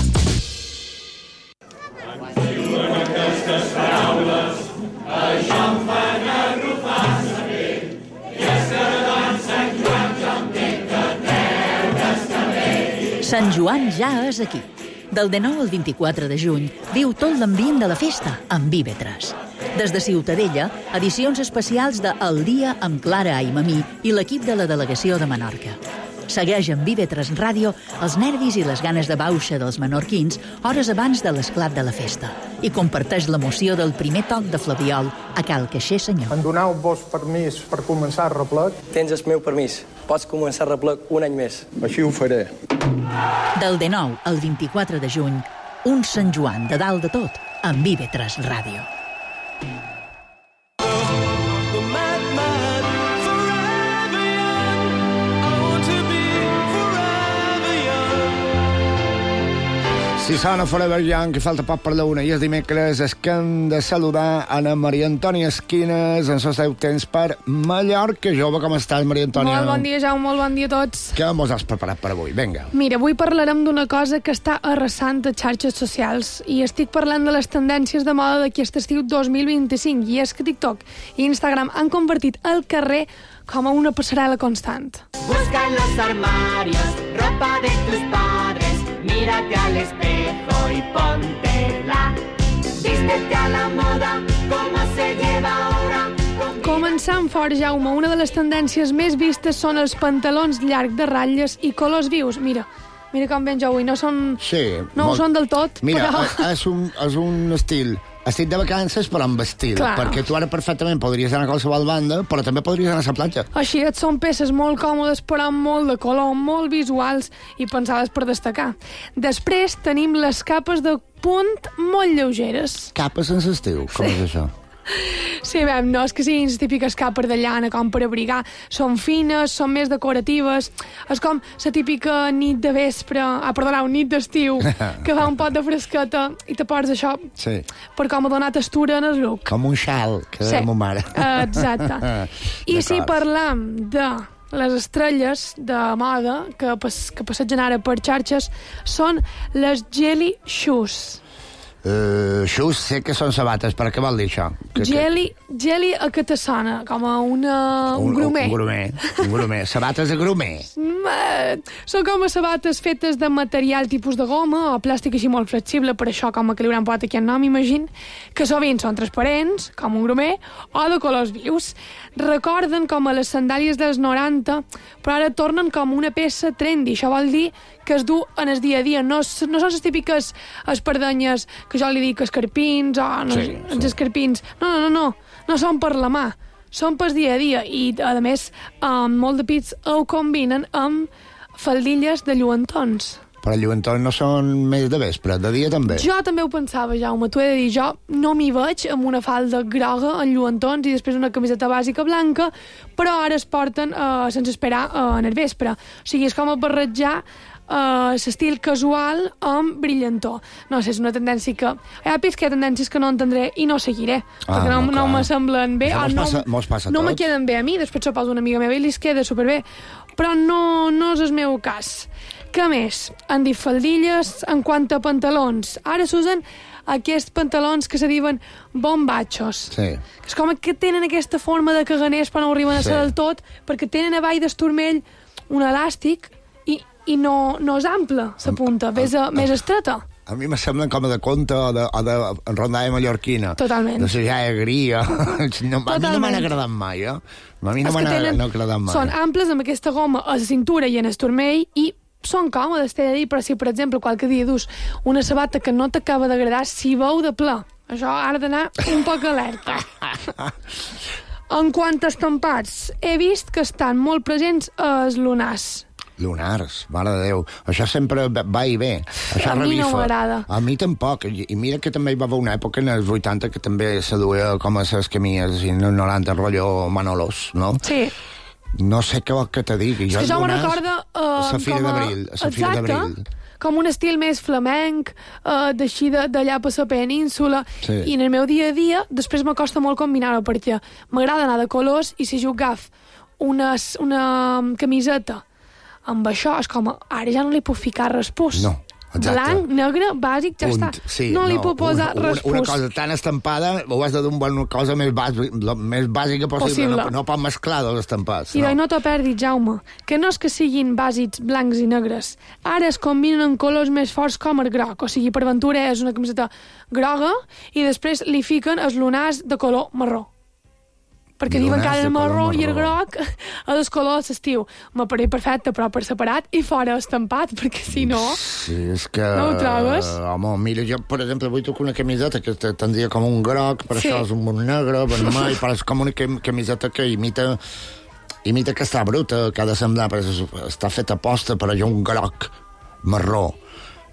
Aquestes paraules, això em fan arrufar la pell. I és que davant Sant Joan jo entenc que treure's cabell.
Sant Joan ja és aquí. Del dinou al vint-i-quatre de juny viu tot l'ambient de la festa amb I V tres. Des de Ciutadella, edicions especials de El dia amb Clara Aimamí i l'equip de la delegació de Menorca. Segueix amb I V tres Ràdio els nervis i les ganes de bauxa dels menorquins hores abans de l'esclat de la festa i comparteix l'emoció del primer toc de flabiol a Cal Caixer Senyor.
Em doneu-vos permís per començar el replec?
Tens el meu permís. Pots començar el replec un any més.
Així ho faré.
Del dinou al vint-i-quatre de juny, un Sant Joan de dalt de tot amb I V tres Ràdio.
Si sona Forever Young, que falta poc per la una i és dimecres, és que hem de saludar Anna Maria Antònia Esquines, en sos deu temps per Mallorca. Jove, com estàs, Maria Antònia?
Molt bon dia, Jaume, molt bon dia a tots.
Què mos has preparat per avui? Vinga.
Mira, avui parlarem d'una cosa que està arrasant a xarxes socials i estic parlant de les tendències de moda d'aquest estiu dos mil vint-i-cinc, i és que TikTok i Instagram han convertit el carrer com a una passarel·la constant.
Busca en los armarios ropa de tus padres. Mírate al espejo y póntela. Vístete a la moda, como se lleva ahora.
Començant fort, Jaume, una de les tendències més vistes són els pantalons llargs de ratlles i colors vius. Mira, mira com ben jo avui, no són...
Sí.
No molt... ho són del tot,
mira,
però...
Mira, és, un, és un estil... Estic de vacances, però amb estil.
Clar.
Perquè tu ara perfectament podries anar a qualsevol banda, però també podries anar a la platja.
Així et són peces molt còmodes, però amb molt de color, molt visuals i pensades per destacar. Després tenim les capes de punt molt lleugeres.
Capes sense estiu, com és això?
Sí, bé, no és que siguin les típiques capes de llana com per abrigar. Són fines, són més decoratives. És com la típica nit de vespre, ah, perdoneu, nit d'estiu, que fa un pot de fresqueta i te poses això
sí.
per com a donar textura en el look.
Com un xal, que sí. deia ma mare.
Exacte. I si parlam de les estrelles de moda que, pas, que passegen ara per xarxes són les Jelly Shoes.
Uh, shoes, sé que són sabates, però què vol dir això? Que,
jelly, que... jelly a què te sona? Com a una, un, un grumer.
Un grumer, un grumer. Sabates de grumer.
Són com a sabates fetes de material tipus de goma o plàstic així molt flexible, per això com a que li hauran posat aquí el nom, imagino, que sovint són transparents, com un grumer, o de colors vius. Recorden com a les sandàlies dels noranta, però ara tornen com una peça trendy. Això vol dir que es du en el dia a dia. No, no són les típiques espardenyes que jo li dic escarpins o no, sí, els sí. escarpins. No, no, no, no. No són per la mà. Són pel dia a dia. I, a més, um, molt de pits ho combinen amb faldilles de lluentons.
Però lluentons no són més de vespre, de dia també.
Jo també ho pensava, Jaume, t'ho he de dir. Jo no m'hi veig amb una falda groga en lluentons i després una camiseta bàsica blanca, però ara es porten uh, sense esperar uh, en el vespre. O sigui, és com a barrejar Uh, l'estil casual amb brillantor. No sé, és una tendència que... Hi ha pits que hi ha tendències que no entendré i no seguiré, ah, perquè no, no me semblen bé.
Mos
no,
passa, mos passa
no
tot.
me queden bé a mi, després s'ho posa una amiga meva i li es queda superbé. Però no, no és el meu cas. Què més? Han dit faldilles en quant a pantalons. Ara s'usen aquests pantalons que se diuen bombachos.
Sí.
Que és com que tenen aquesta forma de caganers però no arriben a ser sí. del tot, perquè tenen a baix d'esturmell un elàstic i i no, no és ample, la punta, ves a, més estreta.
A mi me semblen com de conte o de, o de rondalla mallorquina.
Totalment.
De la jaia gria. No, a mi no m'han agradat mai, eh? A mi no m'han no agradat mai.
Són amples amb aquesta goma a la cintura i en el turmell i són còmodes, t'he de dir, però si, per exemple, qualque dia dus una sabata que no t'acaba d'agradar, si veu de pla. Això ha d'anar un poc alerta. En quant a estampats, he vist que estan molt presents els lunars.
Lunars, mare de Déu. Això sempre va i ve. Això
a mi
revifa.
no m'agrada.
A mi tampoc. I mira que també hi va haver una època en els vuitanta que també se duia com a les camies i noranta rotllo Manolos, no?
Sí.
No sé què vol que te digui.
És que jo me'n recorda... Uh,
la Fira d'Abril. La Fira d'Abril.
Com un estil més flamenc, uh, d'així d'allà per la península,
sí.
I en el meu dia a dia després m'acosta molt combinar-ho, perquè m'agrada anar de colors i si jo agaf una, una camiseta amb això, és com, ara ja no li puc ficar respús.
No, exacte.
Blanc, negre, bàsic, ja
Punt.
està.
Sí,
no li
no,
puc posar
una,
respús.
Una cosa tan estampada, ho has de dur una cosa més, bàsic, la més bàsica possible. possible. No, no pot mesclar dos estampats.
I
no,
no t'ho perdis, Jaume, que no és que siguin bàsics blancs i negres. Ara es combinen en colors més forts com el groc. O sigui, per ventura és una camiseta groga i després li fiquen els lunars de color marró. Perquè diuen que el marró i el groc a dos colors l'estiu. M'apareix perfecte, però per separat i fora estampat, perquè si no...
Sí, és que...
No ho trobes?
Home, mira, jo, per exemple, vull tocar una camiseta que tindria com un groc, per sí. això és un negre, vermell, però és com una camiseta que imita imita que està bruta, que ha de semblar, perquè està feta posta, però hi ha un groc marró.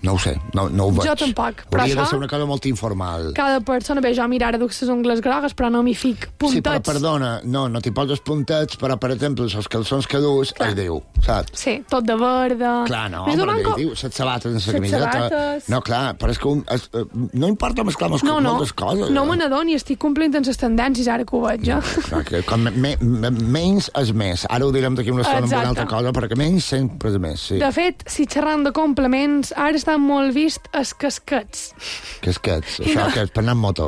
No ho sé, no, no ho veig.
Jo tampoc, però
hauria
això...
de ser una cosa molt informal.
Cada persona, bé, jo mira, ara duc les ungles grogues, però no m'hi fic puntets.
Sí, però perdona, no, no t'hi poses puntets, però, per exemple, els calçons que dus, es diu, saps?
Sí, tot de verde...
Clar, no, però
blanco...
diu, set sabates en la camiseta...
Sabates...
No, clar, però és que un, es, no importa mesclar moltes
no, no,
coses.
No me n'adoni, estic complint amb les tendències, ara que ho veig, jo.
No, clar, que, com me, me, menys és més. Ara ho direm d'aquí una estona amb una altra cosa, perquè menys sempre és més, sí.
De fet, si xerrant de complements, ara estan molt vist els casquets.
Casquets? Això no. Que és per anar amb moto.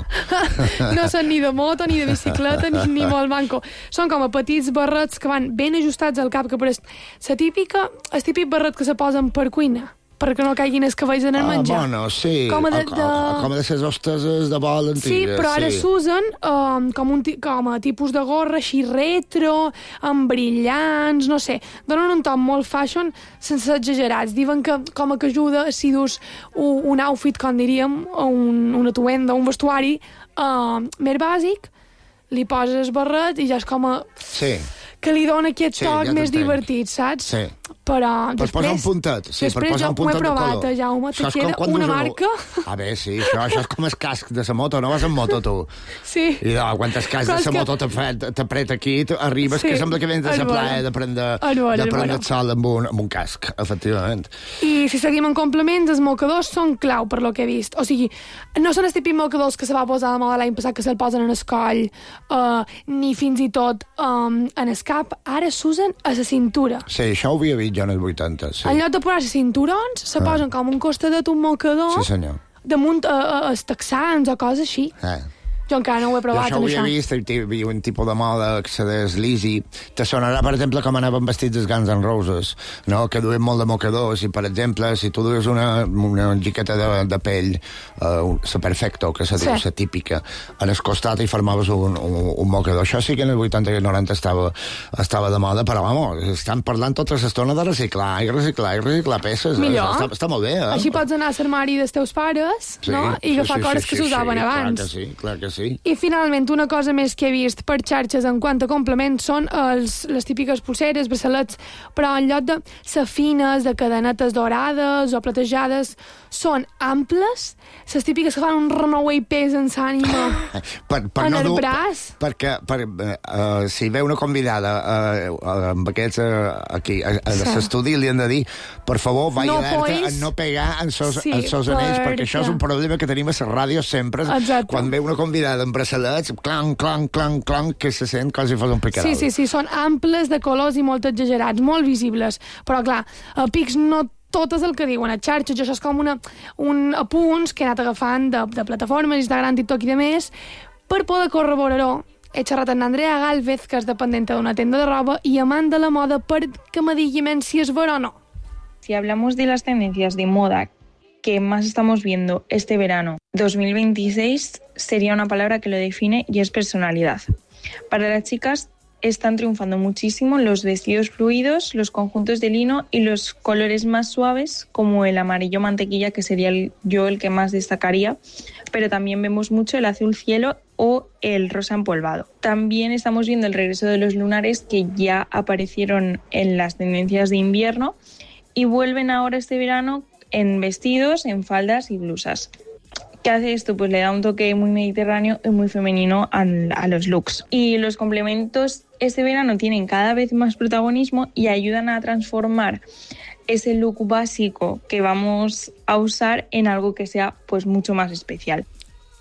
No són ni de moto, ni de bicicleta, ni, ni molt manco. Són com a petits barrets que van ben ajustats al cap, que pareix la típica, el típic barret que se posen per cuina, perquè no caiguin els cabells en el menjar.
Ah, bueno, sí.
Com a de, de...
Com a de ses hosteses de vol antigues.
Sí, però ara
sí.
s'usen um, com, un, com a tipus de gorra així retro, amb brillants, no sé. Donen un toc molt fashion sense exagerats. Diuen que com a que ajuda si dus un, un outfit, com diríem, un, una atuenda, un vestuari uh, més bàsic, li poses barret i ja és com a...
Sí.
Que li dona aquest
sí,
toc
ja
més divertit, saps?
Sí.
però
per
després...
posar un puntet, sí, per posar un puntet de color.
Després jo ho he provat, Jaume, te queda una marca...
A veure, sí, això, això és com el casc de la moto, no vas en moto, tu?
Sí.
I no, quan el casc de la moto t'apreta aquí, arribes que sembla que vens de la playa de prendre el sol amb un, amb un casc, efectivament.
I si seguim en complements, els mocadors són clau, per lo que he vist. O sigui, no són els típics mocadors que se va posar de moda l'any passat, que se'l posen en el coll, ni fins i tot en el cap. Ara s'usen a la cintura.
Sí, això ho havia vist jo en els vuitanta, sí.
En lloc de posar-se cinturons, se posen com un costadet, un mocador,
sí, senyor,
damunt els texans o coses així.
Eh.
Jo encara no ho he provat,
jo això. Jo ho havia vist, hi havia un tipus de moda que se deslisi. Te sonarà, per exemple, com anaven vestits els Guns N' Roses, no? Que duien molt de mocadors, i, per exemple, si tu dues una, una jiqueta de, de pell, la uh, perfecto, que se diu, la sí. típica, en el costat i formaves un, un, un mocador. Això sí que en el vuitanta i noranta estava, estava de moda, però, vamos, estan parlant tota l'estona de reciclar, i reciclar, i reciclar peces.
Millor.
Està, està molt bé, eh?
Així pots anar a l'armari dels teus pares,
sí,
no? I agafar
sí, sí,
coses
sí,
que s'usaven
sí,
abans.
Clar que sí, clar que sí. Sí.
I finalment, una cosa més que he vist per xarxes en quant a complements són els, les típiques pulseres, braçalets, però en lloc de safines, de cadenetes dorades o platejades, són amples, les típiques que fan un renouer i pesen s'ànima
per, per
en
no
el
dur,
braç.
Perquè per, uh, si ve una convidada uh, uh, amb aquests uh, aquí a, a sí. l'estudi li han de dir, per favor, vagi
no
alerta
pois...
a no pegar en sos,
sí,
en sos anells,
perquè...
perquè això és un problema que tenim a la ràdio sempre.
Exacte.
Quan ve una convidada amb braçalets, clang, clang, clang, clang, que se sent com si fos un picarol.
Sí, sí, sí, són amples, de colors i molt exagerats, molt visibles. Però, clar, a pics no tot és el que diuen a xarxes. Això és com una, un apunts que he anat agafant de, de plataformes, Instagram, TikTok i de més, per poder corroborar-ho. He xerrat amb Andrea Gálvez, que és dependenta d'una tenda de roba, i amant de la moda, perquè me digui si és vera o no.
Si hablamos de las tendencias de moda que más estamos viendo este verano dos mil veintiséis, sería una palabra que lo define y es personalidad. Para las chicas están triunfando muchísimo los vestidos fluidos, los conjuntos de lino y los colores más suaves, como el amarillo mantequilla, que sería el, yo el que más destacaría, pero también vemos mucho el azul cielo o el rosa empolvado. También estamos viendo el regreso de los lunares, que ya aparecieron en las tendencias de invierno y vuelven ahora este verano en vestidos, en faldas y blusas. ¿Qué hace esto? Pues le da un toque muy mediterráneo y muy femenino a, a los looks. Y los complementos este verano tienen cada vez más protagonismo y ayudan a transformar ese look básico que vamos a usar en algo que sea pues mucho más especial.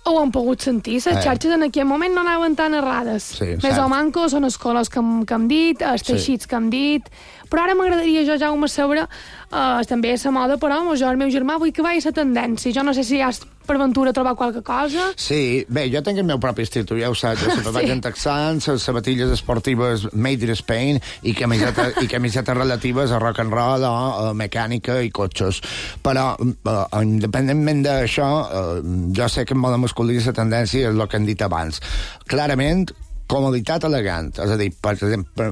Ho han pogut sentir, les xarxes en aquell moment no anaven tan errades.
Sí,
més o manco són els colors que hem, que hem dit, els teixits sí. que hem dit, però ara m'agradaria jo, Jaume, saber uh, també la moda, però jo, el meu germà, vull que vagi a la tendència. Jo no sé si has per ventura trobar qualque cosa.
Sí, bé, jo tinc el meu propi estil, tu ja ho saps, sempre sí. vaig en texans, sabatilles esportives made in Spain i camisetes, i camisetes relatives a rock and roll o a mecànica i cotxes. Però, uh, independentment d'això, uh, jo sé que en moda masculina la tendència és el que hem dit abans. Clarament, comoditat elegant, és a dir, per exemple,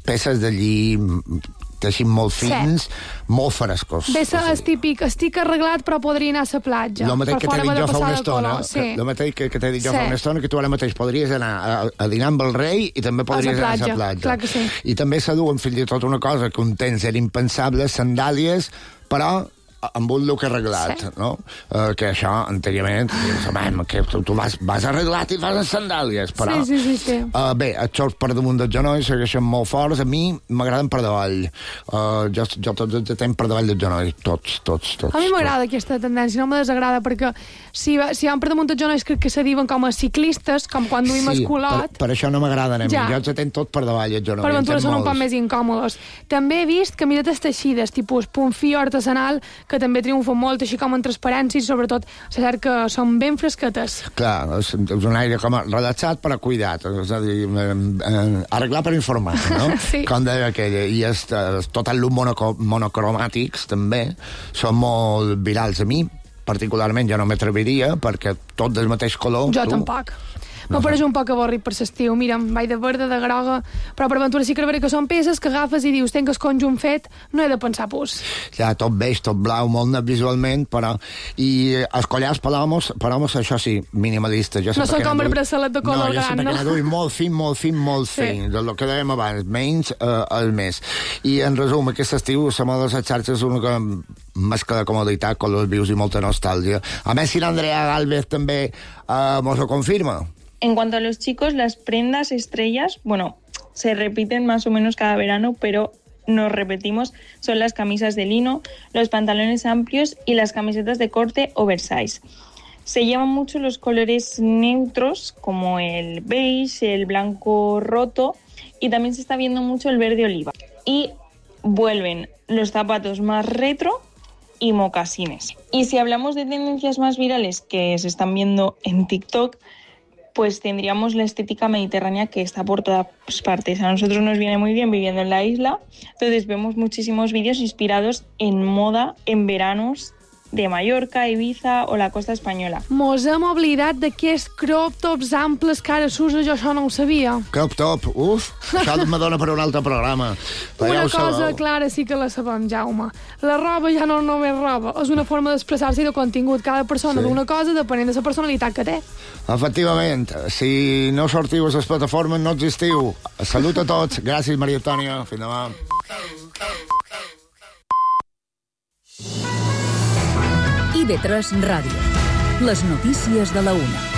peces de lli teixint molt fins, sí. molt frescos.
Bé, és típic, estic arreglat però podria anar a la platja.
El mateix que t'he dit jo fa una estona,
sí.
el mateix que, que t'he dit jo sí. fa una estona, que tu ara mateix podries anar a, a dinar amb el rei i també podries a anar a la platja.
Clar que sí.
I també s'aduen fins i tot una cosa que un temps era impensable, sandàlies, però amb un look arreglat, sí. no? Uh, que això, anteriorment, sabem que tu, tu vas, vas arreglat i vas en sandàlies, però...
Sí, sí, sí. sí.
Uh, bé, els xorts per damunt del genoll segueixen molt forts. A mi m'agraden per davall. Uh, jo, jo tots els temps per davall del genoll. Tots, tots, tots.
A mi m'agrada aquesta tendència, no me desagrada, perquè si, si van per damunt del genoll crec que se diuen com a ciclistes, com quan duim
sí,
el culot.
Per, per això no m'agraden a mi. Ja. Jo els tenc tot per davall, el genoll.
Per aventura són molts. Un poc més incòmodes. També he vist camisetes teixides, tipus punt fi artesanal, que també triomfen molt, així com en transparència, i sobretot s'ha cert que són ben fresquetes.
Clar, és, és un aire com relaxat però cuidat, és a dir, eh, eh, arreglar per informar, no?
Sí.
Com deia aquella, i és, tot el look monoco, monocromàtics també són molt virals a mi, particularment jo no m'atreviria, perquè tot del mateix color...
Jo
tu,
tampoc. Me no pareix un poc avorrit per l'estiu. Mira, vaig de verda, de groga, però per aventura sí que veure que són peces que agafes i dius, tenc el conjunt fet, no he de pensar pus.
Ja, tot beix, tot blau, molt net visualment, però... I els collars per homes, per homes, això sí, minimalista. Jo
no són com el braçalet de color
no,
gran, no?
No, jo sempre que molt fin, molt fin, molt sí. fin, del que dèiem abans, menys eh, el més. I, en resum, aquest estiu, la moda de les xarxes és una mescla de comoditat, colors vius i molta nostàlgia. A més, si l'Andrea Gálvez també eh, mos ho confirma.
En cuanto a los chicos, las prendas estrellas, bueno, se repiten más o menos cada verano, pero nos repetimos, son las camisas de lino, los pantalones amplios y las camisetas de corte oversize. Se llevan mucho los colores neutros, como el beige, el blanco roto, y también se está viendo mucho el verde oliva. Y vuelven los zapatos más retro y mocasines. Y si hablamos de tendencias más virales que se están viendo en TikTok, pues tendríamos la estética mediterránea que está por todas partes. A nosotros nos viene muy bien viviendo en la isla, entonces vemos muchísimos vídeos inspirados en moda, en veranos de Mallorca, Ibiza o la costa espanyola.
Mos hem oblidat d'aquests crop tops amples que ara s'usa, jo això no ho sabia.
Crop top, uf, això me dona per un altre programa.
Però una ja cosa sabeu. Clara sí que la sabem, Jaume. La roba ja no només roba, és una forma d'expressar-se i de contingut. Cada persona sí. d'una cosa depenent de la personalitat que té. Efectivament,
si no sortiu a les plataformes no existiu. Salut a tots, gràcies Maria Antònia, fins demà.
I ve tres Ràdio. Les notícies de la una.